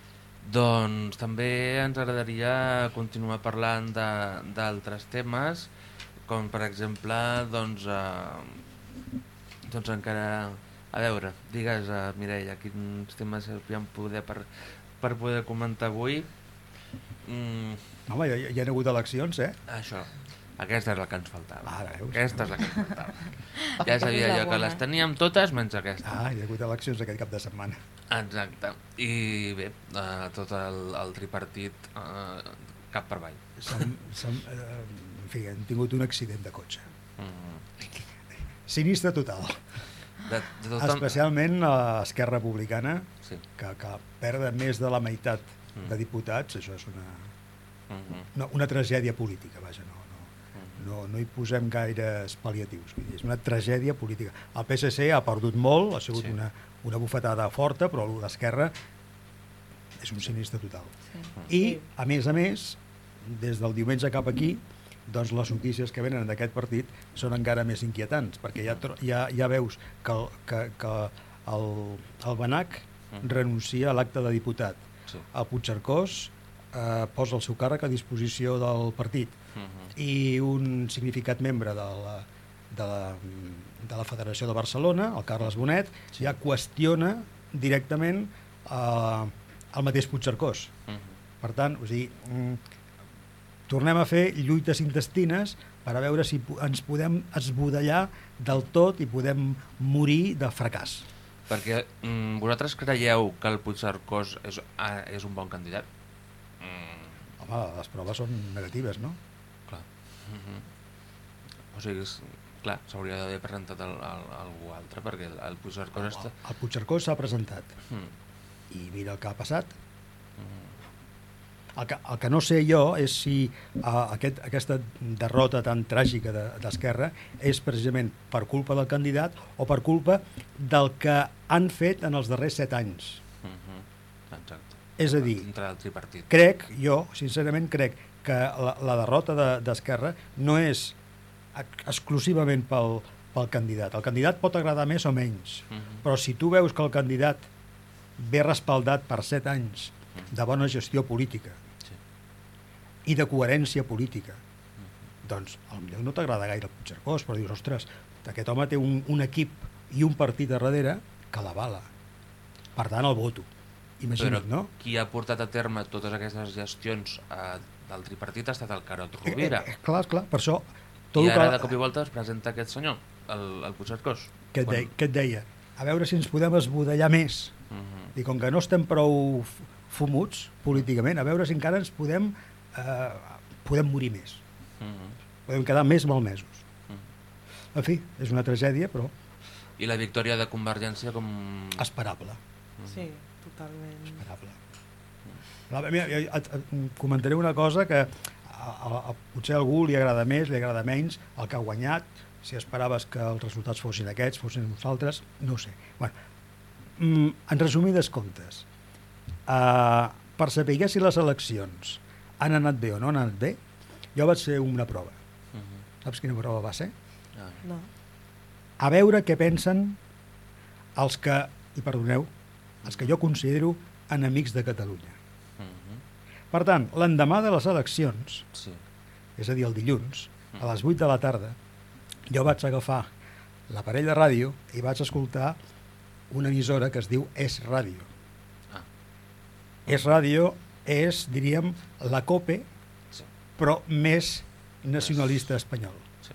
[SPEAKER 1] Doncs també ens agradaria continuar parlant de- d'altres temes, com per exemple, doncs, eh, doncs encara... A veure, digues, eh, Mireia, quins temes hauríem poder per, per poder comentar avui? Mm,
[SPEAKER 6] Home, hi, hi ha hagut eleccions, eh?
[SPEAKER 1] això, aquesta és la que ens faltava.
[SPEAKER 6] Ara, veus?
[SPEAKER 1] Aquesta és la que ens faltava. Ja sabia jo que les teníem totes menys aquesta.
[SPEAKER 6] Ah, hi ha hagut eleccions aquest cap de setmana.
[SPEAKER 1] Exacte. I bé, eh, tot el, el tripartit eh, cap per avall.
[SPEAKER 6] Som, som, eh, en fi, hem tingut un accident de cotxe.
[SPEAKER 1] Mm.
[SPEAKER 6] Sinistre total.
[SPEAKER 1] De, de tot
[SPEAKER 6] Especialment a Esquerra Republicana,
[SPEAKER 1] Sí.
[SPEAKER 6] que, que perd més de la meitat
[SPEAKER 1] Mm.
[SPEAKER 6] de diputats, això és una,
[SPEAKER 1] Mm-hmm.
[SPEAKER 6] una, una tragèdia política, vaja, no, no,
[SPEAKER 1] Mm-hmm.
[SPEAKER 6] no, no hi posem gaires pal·liatius, vull dir, és una tragèdia política. El P S C ha perdut molt, ha sigut
[SPEAKER 1] Sí.
[SPEAKER 6] una, una bufetada forta, però l'Esquerra és un sinistre total.
[SPEAKER 4] Sí.
[SPEAKER 6] I, a més a més, des del diumenge cap aquí, doncs les notícies que venen d'aquest partit són encara més inquietants, perquè ja, tro- ja, ja veus que el, que, que el, el Benac
[SPEAKER 1] Mm.
[SPEAKER 6] renuncia a l'acte de diputat.
[SPEAKER 1] Sí.
[SPEAKER 6] El Puigcercós eh, posa el seu càrrec a disposició del partit
[SPEAKER 1] Mm-hmm.
[SPEAKER 6] i un significat membre de la, de la, de la Federació de Barcelona, el Carles Bonet,
[SPEAKER 1] Sí.
[SPEAKER 6] ja qüestiona directament eh, el mateix Puigcercós.
[SPEAKER 1] Mm-hmm.
[SPEAKER 6] Per tant, o sigui, mm, tornem a fer lluites intestines per a veure si po- ens podem esbudellar del tot i podem morir de fracàs.
[SPEAKER 1] Perquè mm, vosaltres creieu que el Puigcercós és, ah, és un bon candidat? Mm,
[SPEAKER 6] Home, les proves són negatives, no?
[SPEAKER 1] clar. Mm-hmm. O sigui, és, clar, s'hauria d'haver presentat el, el, algú altre, perquè el, el Puigcercós està...
[SPEAKER 6] El, el Puigcercós s'ha presentat
[SPEAKER 1] Mm.
[SPEAKER 6] i mira el que ha passat.
[SPEAKER 1] Mm.
[SPEAKER 6] El que, el que no sé jo és si uh, aquest, aquesta derrota tan tràgica de- d'Esquerra és precisament per culpa del candidat o per culpa del que han fet en els darrers set anys.
[SPEAKER 1] Mm-hmm. Exacte.
[SPEAKER 6] És a dir,
[SPEAKER 1] Dintre del tripartit.
[SPEAKER 6] crec, jo sincerament crec que la, la derrota de- d'Esquerra no és ex- exclusivament pel, pel candidat. El candidat pot agradar més o menys,
[SPEAKER 1] Mm-hmm.
[SPEAKER 6] però si tu veus que el candidat ve respaldat per set anys de bona gestió política
[SPEAKER 1] Sí.
[SPEAKER 6] i de coherència política, doncs potser no t'agrada gaire el Puigcercós, però dius, ostres, aquest home té un, un equip i un partit a darrere que l'avala. Per tant, el voto. Imagina't,
[SPEAKER 1] Però
[SPEAKER 6] no?
[SPEAKER 1] qui ha portat a terme totes aquestes gestions eh, del tripartit ha estat el Carod Rovira.
[SPEAKER 6] Eh, eh, clar, clar, per això... Tot
[SPEAKER 1] I
[SPEAKER 6] el
[SPEAKER 1] ara
[SPEAKER 6] que,
[SPEAKER 1] de cop i volta es presenta aquest senyor, el, el Puigcercós.
[SPEAKER 6] que, et
[SPEAKER 1] Quan-
[SPEAKER 6] deia, que et deia, a veure si ens podem esbudellar més.
[SPEAKER 1] Mhm.
[SPEAKER 6] I com que no estem prou f- fumuts políticament, a veure si encara ens podem, eh, podem morir més.
[SPEAKER 1] Mhm.
[SPEAKER 6] Podem quedar més malmesos.
[SPEAKER 1] Mhm.
[SPEAKER 6] En fi, és una tragèdia, però
[SPEAKER 1] I la victòria de Convergència com...
[SPEAKER 6] esperable.
[SPEAKER 3] Sí, totalment.
[SPEAKER 6] esperable. A mi, jo et, et comentaré una cosa que a, a, a, potser a algú li agrada més, li agrada menys, el que ha guanyat, si esperaves que els resultats fossin aquests, fossin uns altres, no ho sé. Bueno, mm, en resumides comptes, uh, per saber si les eleccions han anat bé o no han anat bé, jo vaig fer una prova.
[SPEAKER 1] Mhm.
[SPEAKER 6] Saps quina prova va ser?
[SPEAKER 1] Ah.
[SPEAKER 3] No.
[SPEAKER 6] A veure què pensen els que, i perdoneu, els que jo considero enemics de Catalunya.
[SPEAKER 1] Mhm.
[SPEAKER 6] Per tant, l'endemà de les eleccions,
[SPEAKER 1] Sí.
[SPEAKER 6] és a dir, el dilluns, a les vuit de la tarda, jo vaig agafar l'aparell de ràdio i vaig escoltar una emissora que es diu Es Ràdio.
[SPEAKER 1] Ah.
[SPEAKER 6] Es Ràdio és, diríem, la COPE,
[SPEAKER 1] Sí.
[SPEAKER 6] però més nacionalista espanyol.
[SPEAKER 1] Sí.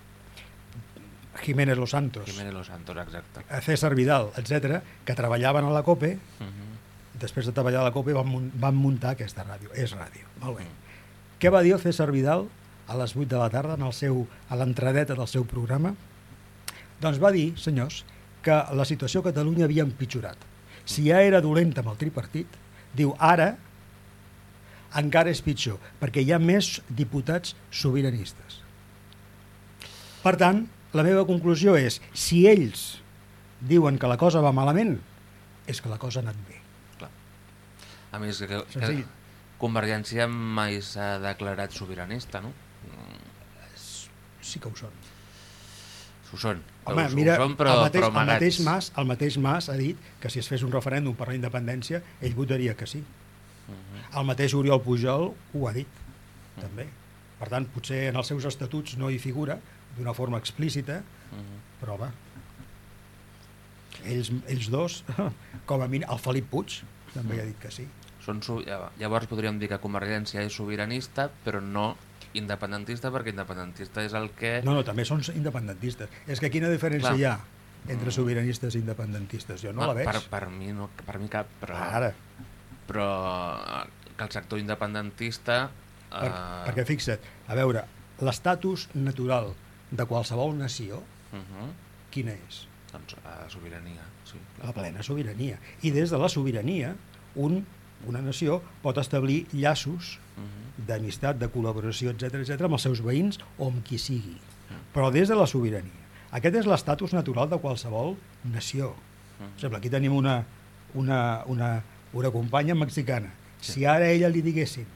[SPEAKER 6] Jiménez Los Santos,
[SPEAKER 1] Jiménez Los Santos, exacte.
[SPEAKER 6] César Vidal, etcètera, que treballaven a la COPE,
[SPEAKER 1] Uh -huh.
[SPEAKER 6] després de treballar a la COPE van, mun- van muntar aquesta ràdio, és ràdio. Molt bé. Què va dir el César Vidal a les vuit de la tarda en el seu, a l'entradeta del seu programa? Doncs va dir, senyors, que la situació a Catalunya havia empitjorat. Si ja era dolenta amb el tripartit, diu, ara encara és pitjor, perquè hi ha més diputats sobiranistes. Per tant, la meva conclusió és, si ells diuen que la cosa va malament, és que la cosa ha anat bé.
[SPEAKER 1] Clar. A més, que, que
[SPEAKER 6] Senzill.
[SPEAKER 1] Convergència mai s'ha declarat sobiranista, no?
[SPEAKER 6] Sí que ho són.
[SPEAKER 1] Ho són.
[SPEAKER 6] Home,
[SPEAKER 1] ho,
[SPEAKER 6] mira,
[SPEAKER 1] ho són, però,
[SPEAKER 6] el, mateix,
[SPEAKER 1] però
[SPEAKER 6] el, mateix
[SPEAKER 1] amagats.
[SPEAKER 6] Mas, el mateix Mas ha dit que si es fes un referèndum per la independència, ell votaria que sí.
[SPEAKER 1] Uh -huh.
[SPEAKER 6] El mateix Oriol Pujol ho ha dit, també. Per tant, potser en els seus estatuts no hi figura d'una forma explícita,
[SPEAKER 1] Uh -huh.
[SPEAKER 6] però va. Ells, ells dos, com a mínim, el Felip Puig també ha dit que sí.
[SPEAKER 1] Són, so- llavors podríem dir que Convergència és sobiranista, però no independentista, perquè independentista és el que...
[SPEAKER 6] No, no, també són independentistes. És que quina diferència
[SPEAKER 1] Clar.
[SPEAKER 6] hi ha entre sobiranistes i independentistes? Jo no
[SPEAKER 1] Ah,
[SPEAKER 6] la veig.
[SPEAKER 1] Per, per, mi no, per mi cap, però,
[SPEAKER 6] Ara,
[SPEAKER 1] però que el sector independentista...
[SPEAKER 6] per,
[SPEAKER 1] eh,
[SPEAKER 6] perquè fixa't, a veure, l'estatus natural de qualsevol nació,
[SPEAKER 1] Uh -huh.
[SPEAKER 6] quina és?
[SPEAKER 1] Doncs uh, sobirania, sí. Clar.
[SPEAKER 6] La plena sobirania. I des de la sobirania, un, una nació pot establir llaços
[SPEAKER 1] Uh -huh.
[SPEAKER 6] d'amistat, de col·laboració, etcètera, etcètera, amb els seus veïns o amb qui sigui. Però des de la sobirania. Aquest és l'estatus natural de qualsevol nació. Per exemple, aquí tenim una, una, una, una companya mexicana. Si ara a ella li diguessin,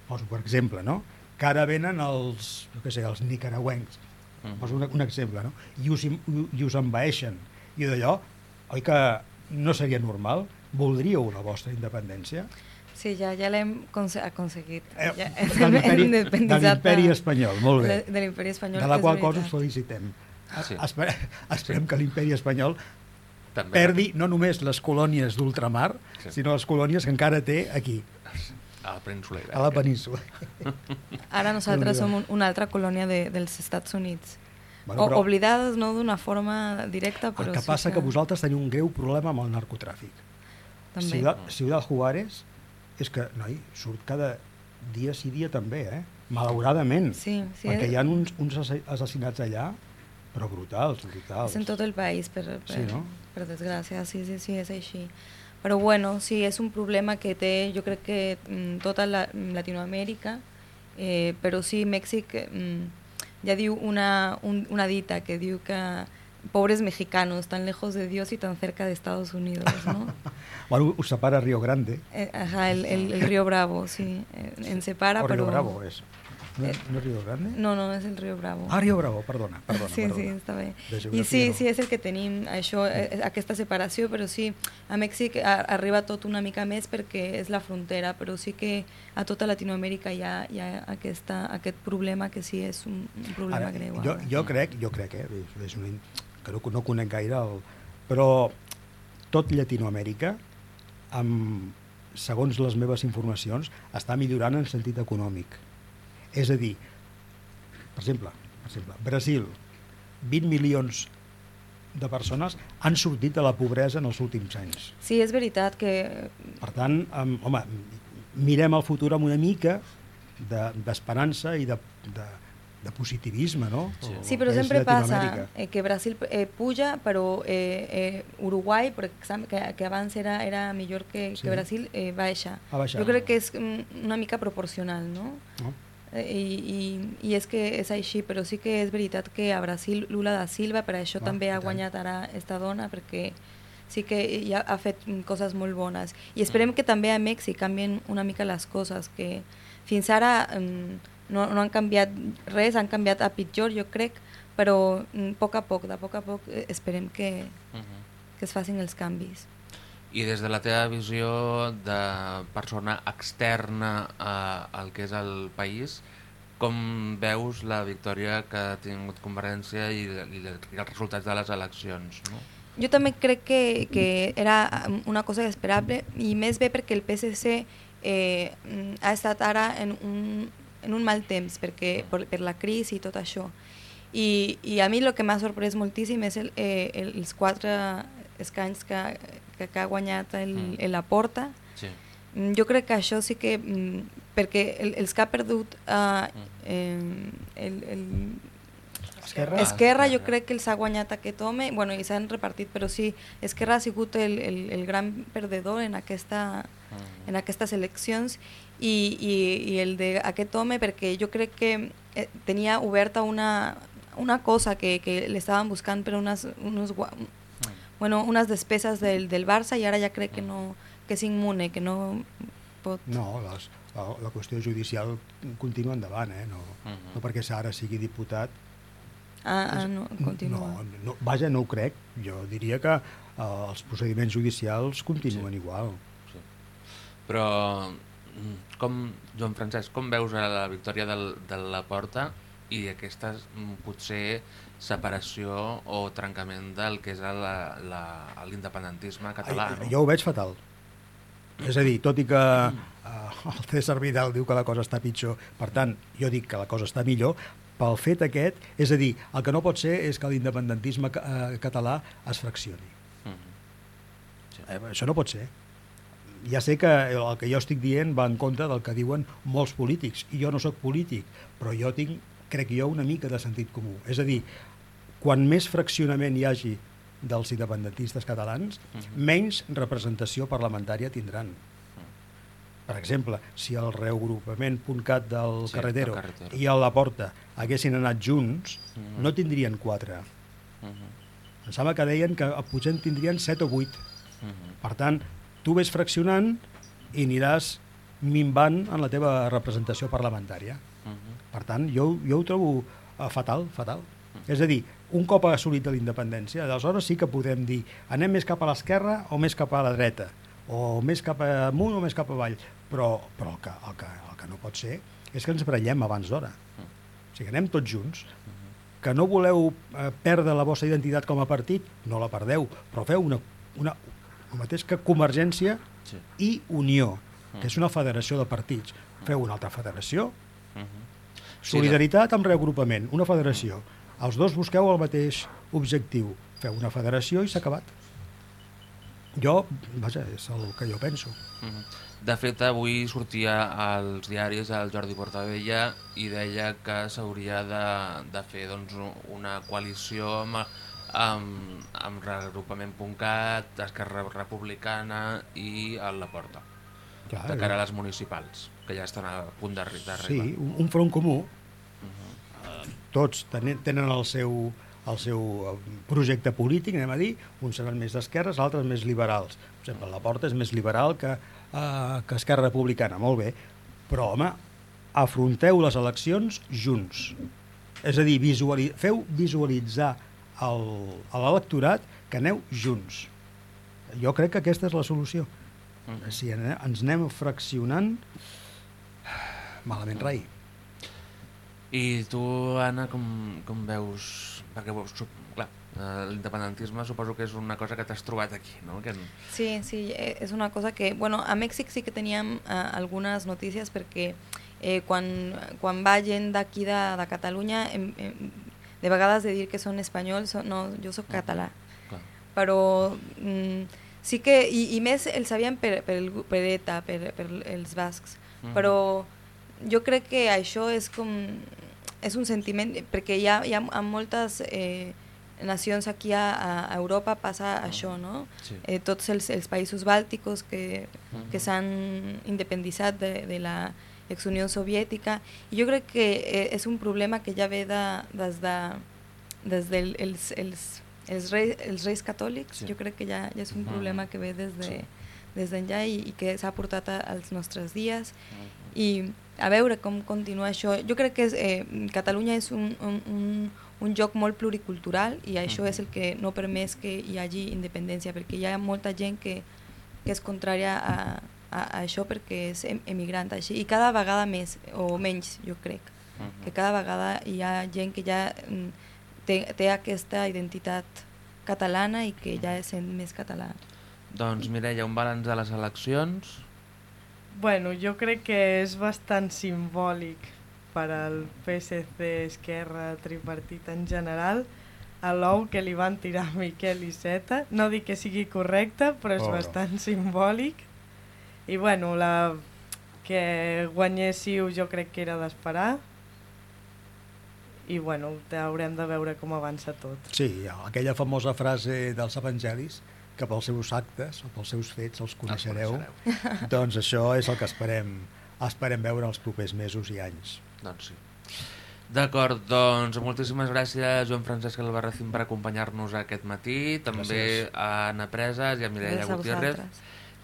[SPEAKER 6] poso per exemple, no? que ara venen els, jo què sé, els nicaragüencs, poso un, un exemple, no? I, us, i us envaeixen, i d'allò, oi que no seria normal? Voldríeu la vostra independència?
[SPEAKER 4] Sí, ja, ja l'hem conse aconseguit.
[SPEAKER 6] Eh,
[SPEAKER 4] Ja,
[SPEAKER 6] de l'imperi-
[SPEAKER 4] hem
[SPEAKER 6] de
[SPEAKER 4] independitzat
[SPEAKER 6] l'imperi
[SPEAKER 4] de-
[SPEAKER 6] espanyol, molt bé.
[SPEAKER 4] De, de l'imperi espanyol.
[SPEAKER 6] De la
[SPEAKER 4] és
[SPEAKER 6] qual
[SPEAKER 4] veritat.
[SPEAKER 6] cosa us felicitem.
[SPEAKER 1] Sí.
[SPEAKER 6] Espere, esperem que l'imperi espanyol
[SPEAKER 1] També.
[SPEAKER 6] perdi no només les colònies d'ultramar,
[SPEAKER 1] Sí.
[SPEAKER 6] sinó les colònies que encara té aquí,
[SPEAKER 1] A la península Ibèrica.
[SPEAKER 6] a la península.
[SPEAKER 4] Ara nosaltres
[SPEAKER 6] Déu-n'hi-do.
[SPEAKER 4] som un, una altra colònia de, dels Estats Units.
[SPEAKER 6] Bueno,
[SPEAKER 4] O,
[SPEAKER 6] però
[SPEAKER 4] oblidades no d'una forma directa, però
[SPEAKER 6] el que
[SPEAKER 4] sí
[SPEAKER 6] passa que vosaltres teniu un greu problema amb el narcotràfic.
[SPEAKER 4] també.
[SPEAKER 6] Ciudad, Ciudad Juárez és que, noi, surt cada dia sí dia també, eh? Malauradament.
[SPEAKER 4] Sí, sí,
[SPEAKER 6] perquè
[SPEAKER 4] és-
[SPEAKER 6] hi ha uns, uns assa- assassinats allà, però brutals, brutals.
[SPEAKER 4] És en tot el país, per, per,
[SPEAKER 6] Sí, no?
[SPEAKER 4] per desgràcia, sí, sí, sí, és així. Però bueno, sí, és un problema que té, jo crec que mm, tota la, Latinoamèrica, eh, però sí, Mèxic mm, ja diu una, un, una dita que diu que pobres mexicanos, tan lejos de Dios y tan cerca de Estados Unidos, ¿no?
[SPEAKER 6] Bueno, us separa Río Grande.
[SPEAKER 4] Eh, ajá, el, el, el río Bravo, sí, eh, en separa,
[SPEAKER 6] o Río
[SPEAKER 4] pero...
[SPEAKER 6] Bravo és. No,
[SPEAKER 4] Eh,
[SPEAKER 6] no és Río Grande?
[SPEAKER 4] No, no, és el riu Bravo.
[SPEAKER 6] Ah, Río Bravo, perdona, perdona.
[SPEAKER 4] sí,
[SPEAKER 6] perdona.
[SPEAKER 4] sí, està bé.
[SPEAKER 6] De
[SPEAKER 4] I
[SPEAKER 6] geografia
[SPEAKER 4] sí,
[SPEAKER 6] no.
[SPEAKER 4] sí, és el que tenim, això, eh, aquesta separació, però sí, a Mèxic a, arriba tot una mica més perquè és la frontera, però sí que a tota Latinoamèrica hi ha, hi ha aquesta, aquest problema que sí és un, un problema
[SPEAKER 6] Ara,
[SPEAKER 4] greu.
[SPEAKER 6] jo,
[SPEAKER 4] ara.
[SPEAKER 6] jo crec, jo crec, eh, és, és una, que no, no conec gaire, el, però tot Llatinoamèrica, amb, segons les meves informacions, està millorant en sentit econòmic. És a dir, per exemple, per exemple, Brasil, vint milions de persones han sortit de la pobresa en els últims anys.
[SPEAKER 4] Sí, és veritat que...
[SPEAKER 6] Per tant, um, home, mirem el futur amb una mica d'esperança de, i de, de, de positivisme, no?
[SPEAKER 1] Sí.
[SPEAKER 4] Sí, però
[SPEAKER 6] Que és
[SPEAKER 4] sempre passa
[SPEAKER 6] Llatinoamèrica.
[SPEAKER 4] eh, que Brasil eh, puja, però eh, eh, Uruguai, per exemple, que, que abans era, era millor que,
[SPEAKER 6] Sí.
[SPEAKER 4] que Brasil, eh, baixa.
[SPEAKER 6] Ha baixat.
[SPEAKER 4] Jo crec que és mm, una mica proporcional, no?
[SPEAKER 6] No?
[SPEAKER 4] Eh, I, i, I és que és així, però sí que és veritat que a Brasil Lula da Silva, per això
[SPEAKER 6] Ah,
[SPEAKER 4] també
[SPEAKER 6] i
[SPEAKER 4] ha
[SPEAKER 6] tant.
[SPEAKER 4] guanyat ara esta dona, perquè sí que ja ha fet mm, coses molt bones. I esperem que també a Mèxic canvien una mica les coses, que fins ara mm, no, no han canviat res, han canviat a pitjor, jo crec, però mm, a poc a poc, de poc a poc, eh, esperem que,
[SPEAKER 1] Uh -huh.
[SPEAKER 4] que es facin els canvis.
[SPEAKER 1] I des de la teva visió de persona externa a, al que és el país, com veus la victòria que ha tingut Convergència i, i, i els resultats de les eleccions? No?
[SPEAKER 4] Jo també crec que, que era una cosa esperable, i més bé perquè el P S C eh, ha estat ara en un, en un mal temps perquè, per, per la crisi i tot això. I, i a mi el que m'ha sorprès moltíssim és el, eh, els quatre escanys que, que, que ha guanyat el, mm. el Laporta.
[SPEAKER 1] Sí.
[SPEAKER 4] Jo crec que això sí que, perquè el, els que ha perdut uh, eh, el, el
[SPEAKER 6] Esquerra?
[SPEAKER 4] Esquerra jo crec que els ha guanyat aquest home, bueno, i s'han repartit, però sí, Esquerra ha sigut el, el, el gran perdedor en, aquesta, en aquestes eleccions i, i, i el d'aquest home, perquè jo crec que eh, tenia oberta una, una cosa que, que l'estaven buscant per unes, unos, bueno, unes despeses del, del Barça i ara ja crec que, no, que és immune, que no pot...
[SPEAKER 6] No, les, la, la qüestió judicial continua endavant, eh? no, uh -huh. no perquè ara sigui diputat.
[SPEAKER 4] Ah, ah no, continua.
[SPEAKER 6] No, no, vaja, no ho crec. Jo diria que uh, els procediments judicials continuen
[SPEAKER 1] sí.
[SPEAKER 6] igual.
[SPEAKER 1] Sí. Però, com, Joan Francesc, com veus la victòria del, de Laporta i aquesta potser separació o trencament del que és l'independentisme català?
[SPEAKER 6] No? Jo ho veig fatal. És a dir, tot i que uh, el César Vidal diu que la cosa està pitjor, per tant, jo dic que la cosa està millor, pel fet aquest, és a dir, el que no pot ser és que l'independentisme eh, català es fraccioni. Mm-hmm. Sí. Eh, això no pot ser. Ja sé que el que jo estic dient va en contra del que diuen molts polítics, i jo no sóc polític, però jo tinc, crec jo, una mica de sentit comú. És a dir, quan més fraccionament hi hagi dels independentistes catalans, mm-hmm. menys representació parlamentària tindran. Per exemple, si el reagrupament .cat del sí, Carretero, carretero i el Laporta haguessin anat junts, uh-huh. no tindrien quatre. Uh-huh. Em sembla que deien que potser en tindrien set o vuit. Uh-huh. Per tant, tu ves fraccionant i aniràs minvant en la teva representació parlamentària. Uh-huh. Per tant, jo, jo ho trobo uh, fatal, fatal. Uh-huh. És a dir, un cop assolit la independència, aleshores sí que podem dir anem més cap a l'esquerra o més cap a la dreta, o més cap amunt o més cap avall, però, però el, que, el, que, el que no pot ser és que ens barallem abans d'hora. O sigui, anem tots junts. Que no voleu eh, perdre la vostra identitat com a partit, no la perdeu, però feu una, una, el mateix que Convergència sí. i Unió, que és una federació de partits. Feu una altra federació, solidaritat amb reagrupament, una federació. Els dos busqueu el mateix objectiu, feu una federació i s'ha acabat. Jo, vaja, és el que jo penso.
[SPEAKER 1] De fet, avui sortia als diaris el Jordi Portabella i deia que s'hauria de, de fer doncs, una coalició amb, amb, amb reagrupament .cat, Esquerra Republicana i el Laporta, Clar, de cara a les municipals, que ja estan a punt d'arribar.
[SPEAKER 6] Sí, un, un front comú. Uh-huh. Tots tenen, tenen el seu... el seu projecte polític, anem a dir, uns seran més d'esquerres, altres més liberals. Per exemple, Laporta és més liberal que, uh, que Esquerra Republicana, molt bé, però, home, afronteu les eleccions junts. És a dir, visuali feu visualitzar el, a l'electorat que aneu junts. Jo crec que aquesta és la solució. Uh-huh. Si ens anem fraccionant, malament rai.
[SPEAKER 1] I tu, Anna, com, com veus... Perquè, clar, l'independentisme suposo que és una cosa que t'has trobat aquí, no? Que...
[SPEAKER 4] Sí, sí, és una cosa que... Bueno, a Mèxic sí que teníem uh, algunes notícies perquè eh, quan, quan va gent d'aquí de, de Catalunya, em, em, de vegades de dir que són espanyols, no, jo soc català. Clar. Però mm, sí que... I, i més els sabien per, per, el, per ETA, per, per els bascs. Mm. Però jo crec que això és com... és un sentiment, perquè hi ha, hi ha moltes eh, nacions aquí a, a Europa passa ah, això, no? Sí. Eh, tots els, els països bàlticos que, uh-huh. que s'han independitzat de, de la ex-Unió Soviètica, i jo crec que eh, és un problema que ja ve de, des, de, des dels els, els, els, reis, els reis catòlics, sí. Jo crec que ja, ja és un uh-huh. problema que ve des de, sí. des d'enllà i, i que s'ha portat a, als nostres dies, uh-huh. i a veure com continua això. Jo crec que és, eh, Catalunya és un, un, un, un lloc molt pluricultural i això uh-huh. és el que no permet que hi hagi independència, perquè hi ha molta gent que, que és contrària a, a, a això perquè és emigrant així, i cada vegada més o menys, jo crec, uh-huh. que cada vegada hi ha gent que ja té, té aquesta identitat catalana i que ja és més català.
[SPEAKER 1] Doncs Mireia, un balanç de les eleccions...
[SPEAKER 3] Bueno, jo crec que és bastant simbòlic per al P S C Esquerra Tripartit en general, a l'ou que li van tirar a Miquel Iceta. No dic que sigui correcte, però és oh, bastant no. simbòlic. I bueno, la que guanyéssiu jo crec que era d'esperar. I bueno, haurem de veure com avança tot.
[SPEAKER 6] Sí, aquella famosa frase dels evangelis, que pels seus actes o pels seus fets els coneixereu, els coneixereu. Doncs això és el que esperem, esperem veure els propers mesos i anys.
[SPEAKER 1] Doncs sí. D'acord, doncs moltíssimes gràcies Joan Francesc Albarracín per acompanyar-nos aquest matí, també gràcies. A Anna Presas i a Mireia Gutiérrez.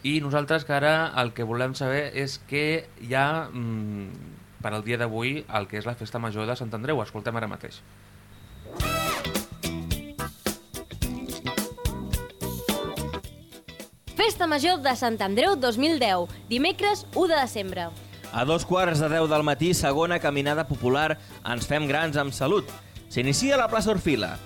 [SPEAKER 1] I nosaltres que ara el que volem saber és que hi ha mmm, per al dia d'avui el que és la Festa Major de Sant Andreu. Escoltem ara mateix.
[SPEAKER 7] Festa Major de Sant Andreu dos mil deu, dimecres u de desembre.
[SPEAKER 8] A dos quarts de deu del matí, segona caminada popular Ens fem grans amb salut. S'inicia a la plaça Orfila.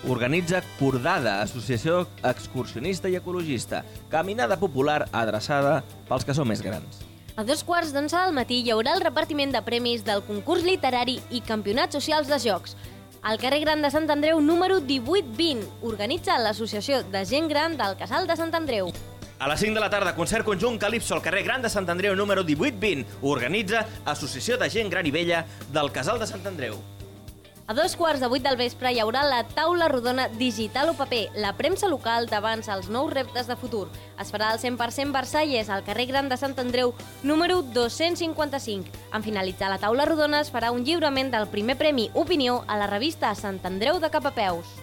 [SPEAKER 8] Organitza Cordada, associació excursionista i ecologista. Caminada popular adreçada pels que són més grans.
[SPEAKER 7] A dos quarts d'onze del matí hi haurà el repartiment de premis del concurs literari i campionats socials de jocs. Al carrer Gran de Sant Andreu, número divuit vint, organitza l'Associació de Gent Gran del Casal de Sant Andreu.
[SPEAKER 8] A les cinc de la tarda, concert conjunt Calipso al carrer Gran de Sant Andreu, número divuit vint. Organitza Associació de Gent Gran i Vella del Casal de Sant Andreu.
[SPEAKER 7] A dos quarts de vuit del vespre hi haurà la taula rodona digital o paper, la premsa local davant els nous reptes de futur. Es farà al cent per cent Versalles, al carrer Gran de Sant Andreu, número dos-cents cinquanta-cinc. En finalitzar la taula rodona es farà un lliurament del primer premi Opinió a la revista Sant Andreu de Capapeus.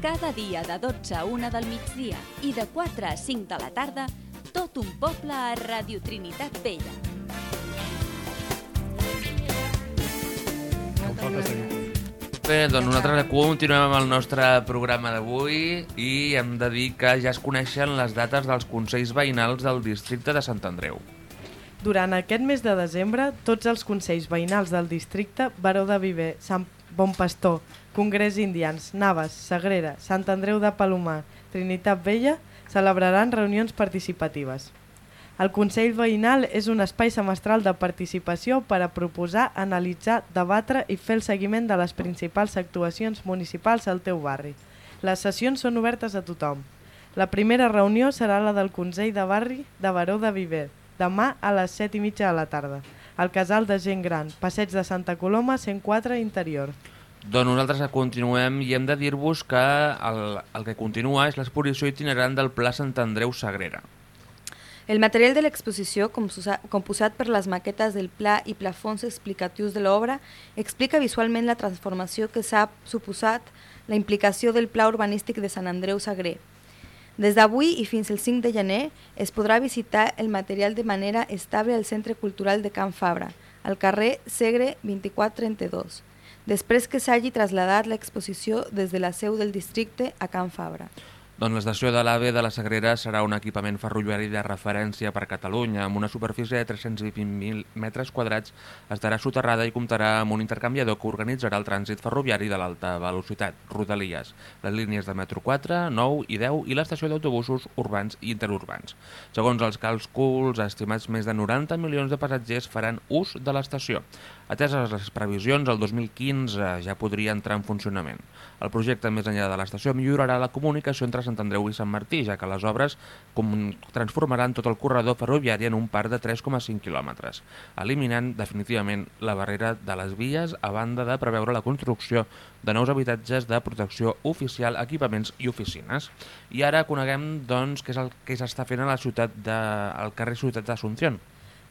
[SPEAKER 2] Cada dia de dotze a una del migdia i de quatre a cinc de la tarda, tot un poble a Ràdio Trinitat Vella.
[SPEAKER 1] Bé, doncs nosaltres continuem amb el nostre programa d'avui i hem de dir que ja es coneixen les dates dels consells veïnals del districte de Sant Andreu.
[SPEAKER 3] Durant aquest mes de desembre, tots els consells veïnals del districte, Baró de Viver, Sant Bon Pastor, Congrés Indians, Navas, Sagrera, Sant Andreu de Palomar, Trinitat Vella, celebraran reunions participatives. El Consell Veïnal és un espai semestral de participació per a proposar, analitzar, debatre i fer el seguiment de les principals actuacions municipals al teu barri. Les sessions són obertes a tothom. La primera reunió serà la del Consell de Barri de Baró de Viver, demà a les set i mitja de la tarda, al Casal de Gent Gran, Passeig de Santa Coloma, cent quatre Interior.
[SPEAKER 1] Doncs nosaltres continuem i hem de dir-vos que el, el que continua és l'exposició itinerant del Pla Sant Andreu Sagrera.
[SPEAKER 4] El material de l'exposició, composat per les maquetes del pla i plafons explicatius de l'obra, explica visualment la transformació que s'ha suposat la implicació del Pla Urbanístic de Sant Andreu Sagrer. Des d'avui i fins al cinc de gener es podrà visitar el material de manera estable al Centre Cultural de Can Fabra, al carrer Segre vint-i-quatre trenta-dos, després que s'hagi traslladat l'exposició des de la seu del districte a Can Fabra.
[SPEAKER 1] Doncs l'estació de l'AVE de la Sagrera serà un equipament ferroviari de referència per Catalunya, amb una superfície de tres-cents vint mil metres quadrats, estarà soterrada i comptarà amb un intercanviador que organitzarà el trànsit ferroviari de l'alta velocitat, Rodalies, les línies de metro quatre, nou i deu i l'estació d'autobusos urbans i interurbans. Segons els càlculs estimats, més de noranta milions de passatgers faran ús de l'estació. Ateses les previsions, el dos mil quinze ja podria entrar en funcionament. El projecte més enllà de l'estació millorarà la comunicació entre Sant Andreu i Sant Martí, ja que les obres transformaran tot el corredor ferroviari en un parc de tres coma cinc quilòmetres, eliminant definitivament la barrera de les vies a banda de preveure la construcció de nous habitatges de protecció oficial, equipaments i oficines. I ara coneguem doncs, què és el que s'està fent a la ciutat de, al carrer Ciutat d'Asunción.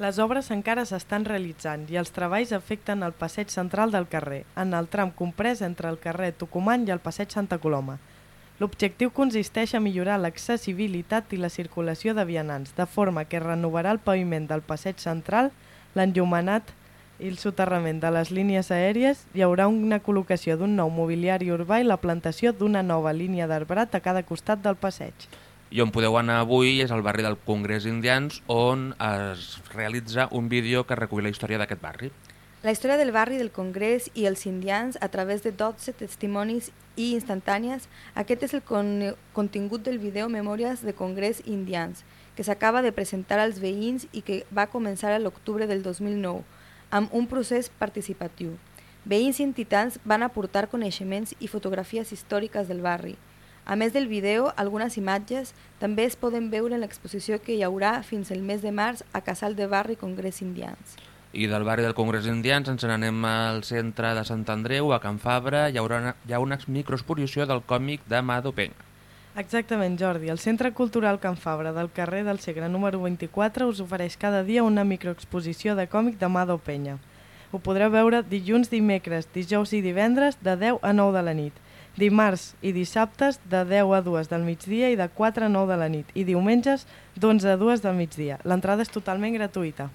[SPEAKER 3] Les obres encara s'estan realitzant i els treballs afecten el passeig central del carrer, en el tram comprès entre el carrer Tucumán i el passeig Santa Coloma. L'objectiu consisteix a millorar l'accessibilitat i la circulació de vianants, de forma que renovarà el paviment del passeig central, l'enllumenat i el soterrament de les línies aèries, hi haurà una col·locació d'un nou mobiliari urbà i la plantació d'una nova línia d'arbrat a cada costat del passeig.
[SPEAKER 1] I on podeu anar avui és al barri del Congrés Indians, on es realitza un vídeo que recull la història d'aquest barri.
[SPEAKER 4] La història del barri del Congrés i els indians a través de dotze testimonis i instantànies, aquest és el con contingut del vídeo Memòries de Congrés Indians, que s'acaba de presentar als veïns i que va començar a l'octubre del dos mil nou, amb un procés participatiu. Veïns i entitats van aportar coneixements i fotografies històriques del barri. A més del vídeo, algunes imatges també es poden veure en l'exposició que hi haurà fins el mes de març a Casal de Barri Congrés Indians.
[SPEAKER 1] I del barri del Congrés Indians ens n'anem al centre de Sant Andreu, a Can Fabra. Hi haurà una, hi ha una microexposició del còmic de Mado Penya.
[SPEAKER 3] Exactament, Jordi. El Centre Cultural Can Fabra del carrer del Segre número vint-i-quatre us ofereix cada dia una microexposició de còmic de Mado Penya. Ho podreu veure dilluns, dimecres, dijous i divendres de deu a nou de la nit, dimarts i dissabtes de deu a dues del migdia i de quatre a nou de la nit, i diumenges d'onze a dues del migdia. L'entrada és totalment gratuïta.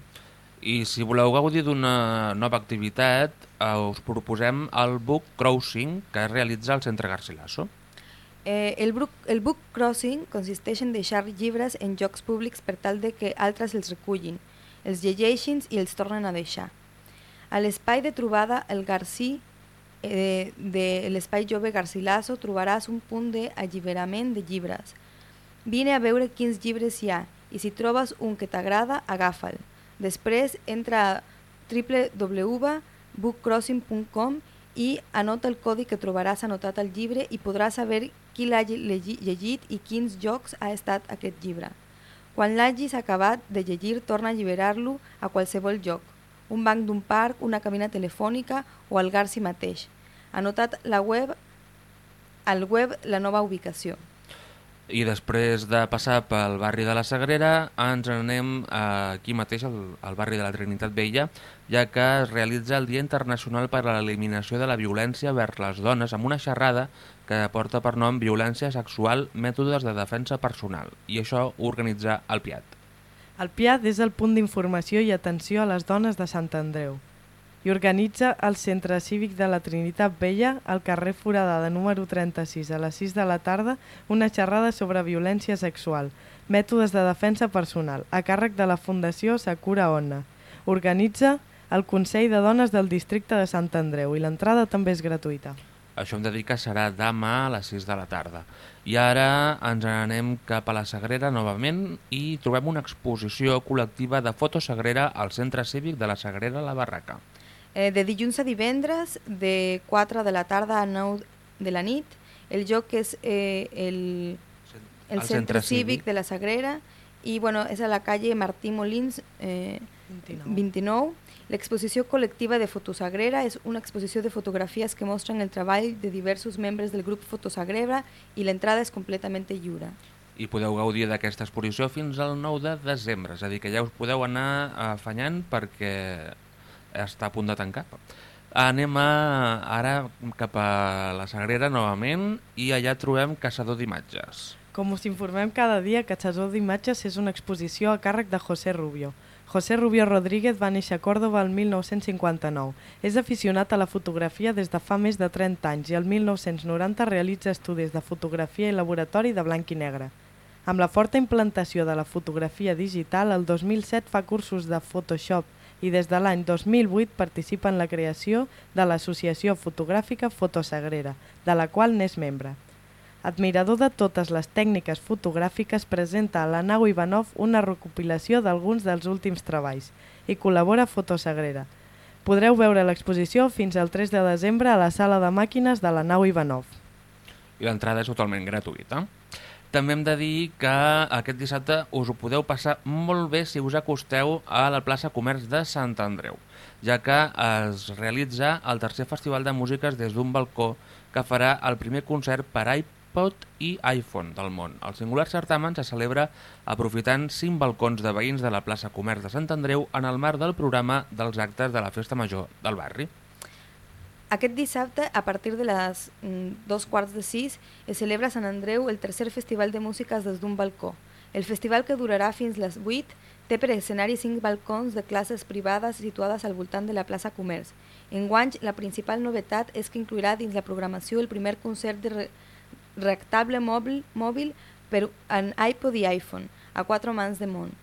[SPEAKER 1] I si voleu gaudir d'una nova activitat, eh, us proposem el Book Crossing que es realitza al Centre Garcilaso.
[SPEAKER 4] Eh, el, book, el book crossing consisteix en deixar llibres en llocs públics per tal de que altres els recullin, els llegeixin i els tornen a deixar. A l'espai de trobada El Garcí eh, de l'espai jove Garcilaso trobaràs un punt d'alliberament de llibres. Vine a veure quins llibres hi ha i si trobes un que t'agrada, agafa'l. Després entra a w w w punt book crossing punt com i anota el codi que trobaràs anotat al llibre i podràs saber qui l'ha llegit i quins jocs ha estat aquest llibre. Quan l'hagis acabat de llegir, torna a alliberar-lo a qualsevol lloc, un banc d'un parc, una cabina telefònica o al Garci mateix. Anotat la web, al web la nova ubicació.
[SPEAKER 1] I després de passar pel barri de la Sagrera, ens anem aquí mateix, al, al barri de la Trinitat Vella, ja que es realitza el Dia Internacional per a l'Eliminació de la Violència vers les Dones, amb una xerrada que porta per nom Violència Sexual, Mètodes de Defensa Personal, i això ho organitza el P I A T.
[SPEAKER 3] El P I A T és el punt d'informació i atenció a les dones de Sant Andreu i organitza el Centre Cívic de la Trinitat Vella al carrer Foradada número trenta-sis a les sis de la tarda una xerrada sobre violència sexual, mètodes de defensa personal, a càrrec de la Fundació Sakura Onna. Organitza el Consell de Dones del Districte de Sant Andreu i l'entrada també és gratuïta.
[SPEAKER 1] Això em dedica serà demà a les sis de la tarda. I ara ens anem cap a la Sagrera novament i trobem una exposició col·lectiva de fotosagrera al Centre Cívic de la Sagrera La Barraca.
[SPEAKER 4] Eh, de dilluns a divendres, de quatre de la tarda a nou de la nit, el lloc és eh, el, el, el Centre Cívic de la Sagrera i bueno, és a la calle Martí Molins eh,
[SPEAKER 3] vint-i-nou.
[SPEAKER 4] vint-i-nou. L'exposició col·lectiva de Fotosagrera és una exposició de fotografies que mostren el treball de diversos membres del grup Fotosagrera i l'entrada és completament lliure.
[SPEAKER 1] I podeu gaudir d'aquesta exposició fins al nou de desembre, és a dir, que ja us podeu anar afanyant perquè està a punt de tancar. Anem a, ara cap a la Sagrera novament i allà trobem Caçador d'imatges.
[SPEAKER 3] Com us informem cada dia, Caçador d'imatges és una exposició a càrrec de José Rubio. José Rubio Rodríguez va néixer a Còrdova el mil nou-cents cinquanta-nou. És aficionat a la fotografia des de fa més de trenta anys i el mil nou-cents noranta realitza estudis de fotografia i laboratori de blanc i negre. Amb la forta implantació de la fotografia digital, el dos mil set fa cursos de Photoshop i des de l'any dos mil vuit participa en la creació de l'Associació Fotogràfica Fotosagrera, de la qual n'és membre. Admirador de totes les tècniques fotogràfiques, presenta a la nau Ivanov una recopilació d'alguns dels últims treballs i col·labora a Fotosagrera. Podreu veure l'exposició fins al tres de desembre a la sala de màquines de la nau Ivanov.
[SPEAKER 1] I l'entrada és totalment gratuïta. També hem de dir que aquest dissabte us ho podeu passar molt bé si us acosteu a la plaça Comerç de Sant Andreu, ja que es realitza el tercer festival de músiques des d'un balcó que farà el primer concert per iPod i iPhone del món. El singular certamen se celebra aprofitant cinc balcons de veïns de la plaça Comerç de Sant Andreu en el marc del programa dels actes de la Festa Major del barri.
[SPEAKER 4] Aquest dissabte, a partir de les mm, dos quarts de sis, es celebra a Sant Andreu el tercer festival de músiques des d'un balcó. El festival, que durarà fins les vuit, té per escenari cinc balcons de classes privades situades al voltant de la plaça Comerç. Enguany, la principal novetat és que inclourà dins la programació el primer concert de re reactable mòbil, mòbil per en iPod i iPhone, a quatre mans de món.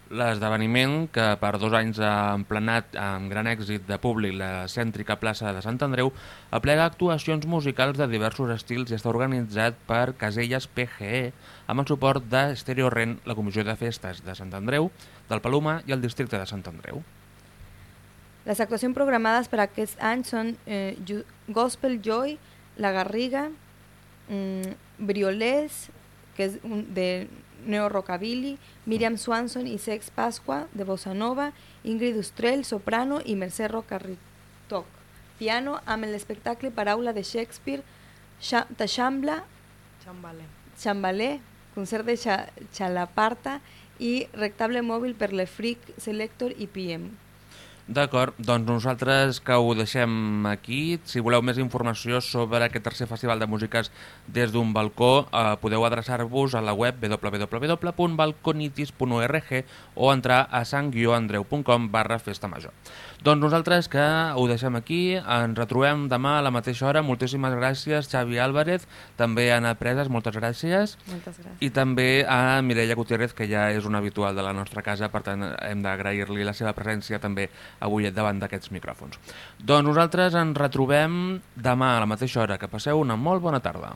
[SPEAKER 1] L'esdeveniment, que per dos anys ha emplenat amb gran èxit de públic la cèntrica plaça de Sant Andreu, aplega actuacions musicals de diversos estils i està organitzat per Caselles P G E amb el suport de Stereo Rent, la Comissió de Festes de Sant Andreu, del Palomar i el districte de Sant Andreu.
[SPEAKER 4] Les actuacions programades per aquest any són eh, Gospel Joy, La Garriga, mm, Briolés, que és un, de Neo Rockabilly, Miriam Swanson i Sex Pasqua, de Bossa Nova, Ingrid Ustrell, soprano, i Mercè Rocarritoc, piano, amb l'espectacle Paraula de Shakespeare, Taxambla, Xambalé, concert de Xalaparta i rectable mòbil per l'Efric Selector i P M.
[SPEAKER 1] D'acord, doncs nosaltres que ho deixem aquí. Si voleu més informació sobre aquest tercer festival de músiques des d'un balcó, eh, podeu adreçar-vos a la web w w w punt balconitis punt org o entrar a sant andreu punt com barra festa major. Doncs nosaltres que ho deixem aquí, ens retrobem demà a la mateixa hora. Moltíssimes gràcies, Xavi Álvarez, també a Anna Preses, moltes gràcies.
[SPEAKER 4] Moltes gràcies.
[SPEAKER 1] I també a Mireia Gutiérrez, que ja és una habitual de la nostra casa, per tant hem d'agrair-li la seva presència també avui davant d'aquests micròfons. Doncs nosaltres ens retrobem demà a la mateixa hora. Que passeu una molt bona tarda.